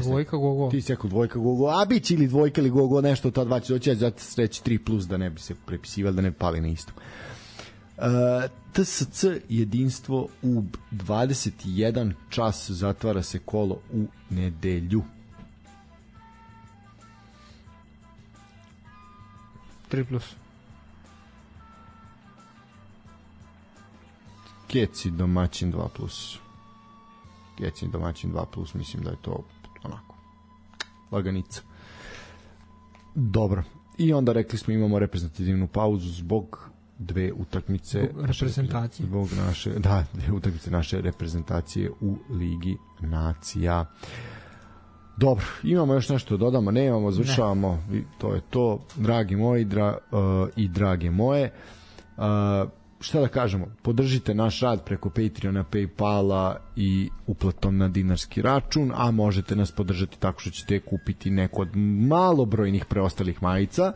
Dvojka Gogo. Ti si rekao dvojka Gogo, a biće ili dvojka ili Gogo, nešto ta dva će doći, zato reći 3+, da ne bi se prepisivali, da ne pali na isto. TSC jedinstvo u 21 čas zatvara se kolo u nedelju. 3+. Keci domaćin 2+. Keci domaćin 2+, mislim da je to onako laganica. Dobro. I onda rekli smo imamo reprezentativnu pauzu zbog dve utakmice reprezentacije. Zbog naše, dve utakmice naše reprezentacije u Ligi nacija. Dobro, imamo još nešto da dodamo, nemamo, završavamo, to je to, dragi moji i drage moje. Šta da kažemo, podržite naš rad preko Patreona, Paypala i uplatom na dinarski račun, a možete nas podržati tako što ćete kupiti neko od malobrojnih preostalih majica,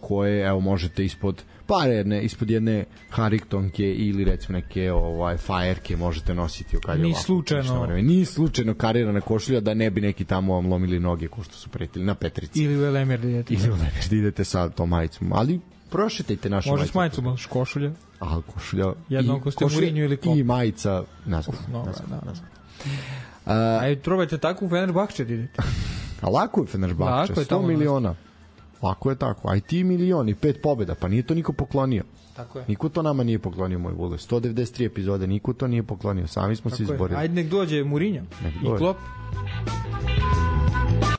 koje evo možete ispod jedne Harringtonke ili recimo neke fajerke možete nositi. Ni slučajno karirana košulja, da ne bi neki tamo vam lomili noge ko što su pretili na Petrici. Ili u Elemir da idete sa tom majicom, ali prošetajte našu majicu. Može s majicom, baš košulja. Košulja. Jedno ako ste Mourinho ili Klopp. I majica nazad. Probajte tako u Fenerbahče da idete. A lako je Fenerbahče, 100 miliona. Lako je tako. Aj ti milion i 5 pobjeda, pa nije to niko poklonio. Tako je. Niko to nama nije poklonio, moj vole. 193 epizode, niko to nije poklonio. Sami smo se izborili. Ajde nek dođe Mourinho i Klopp.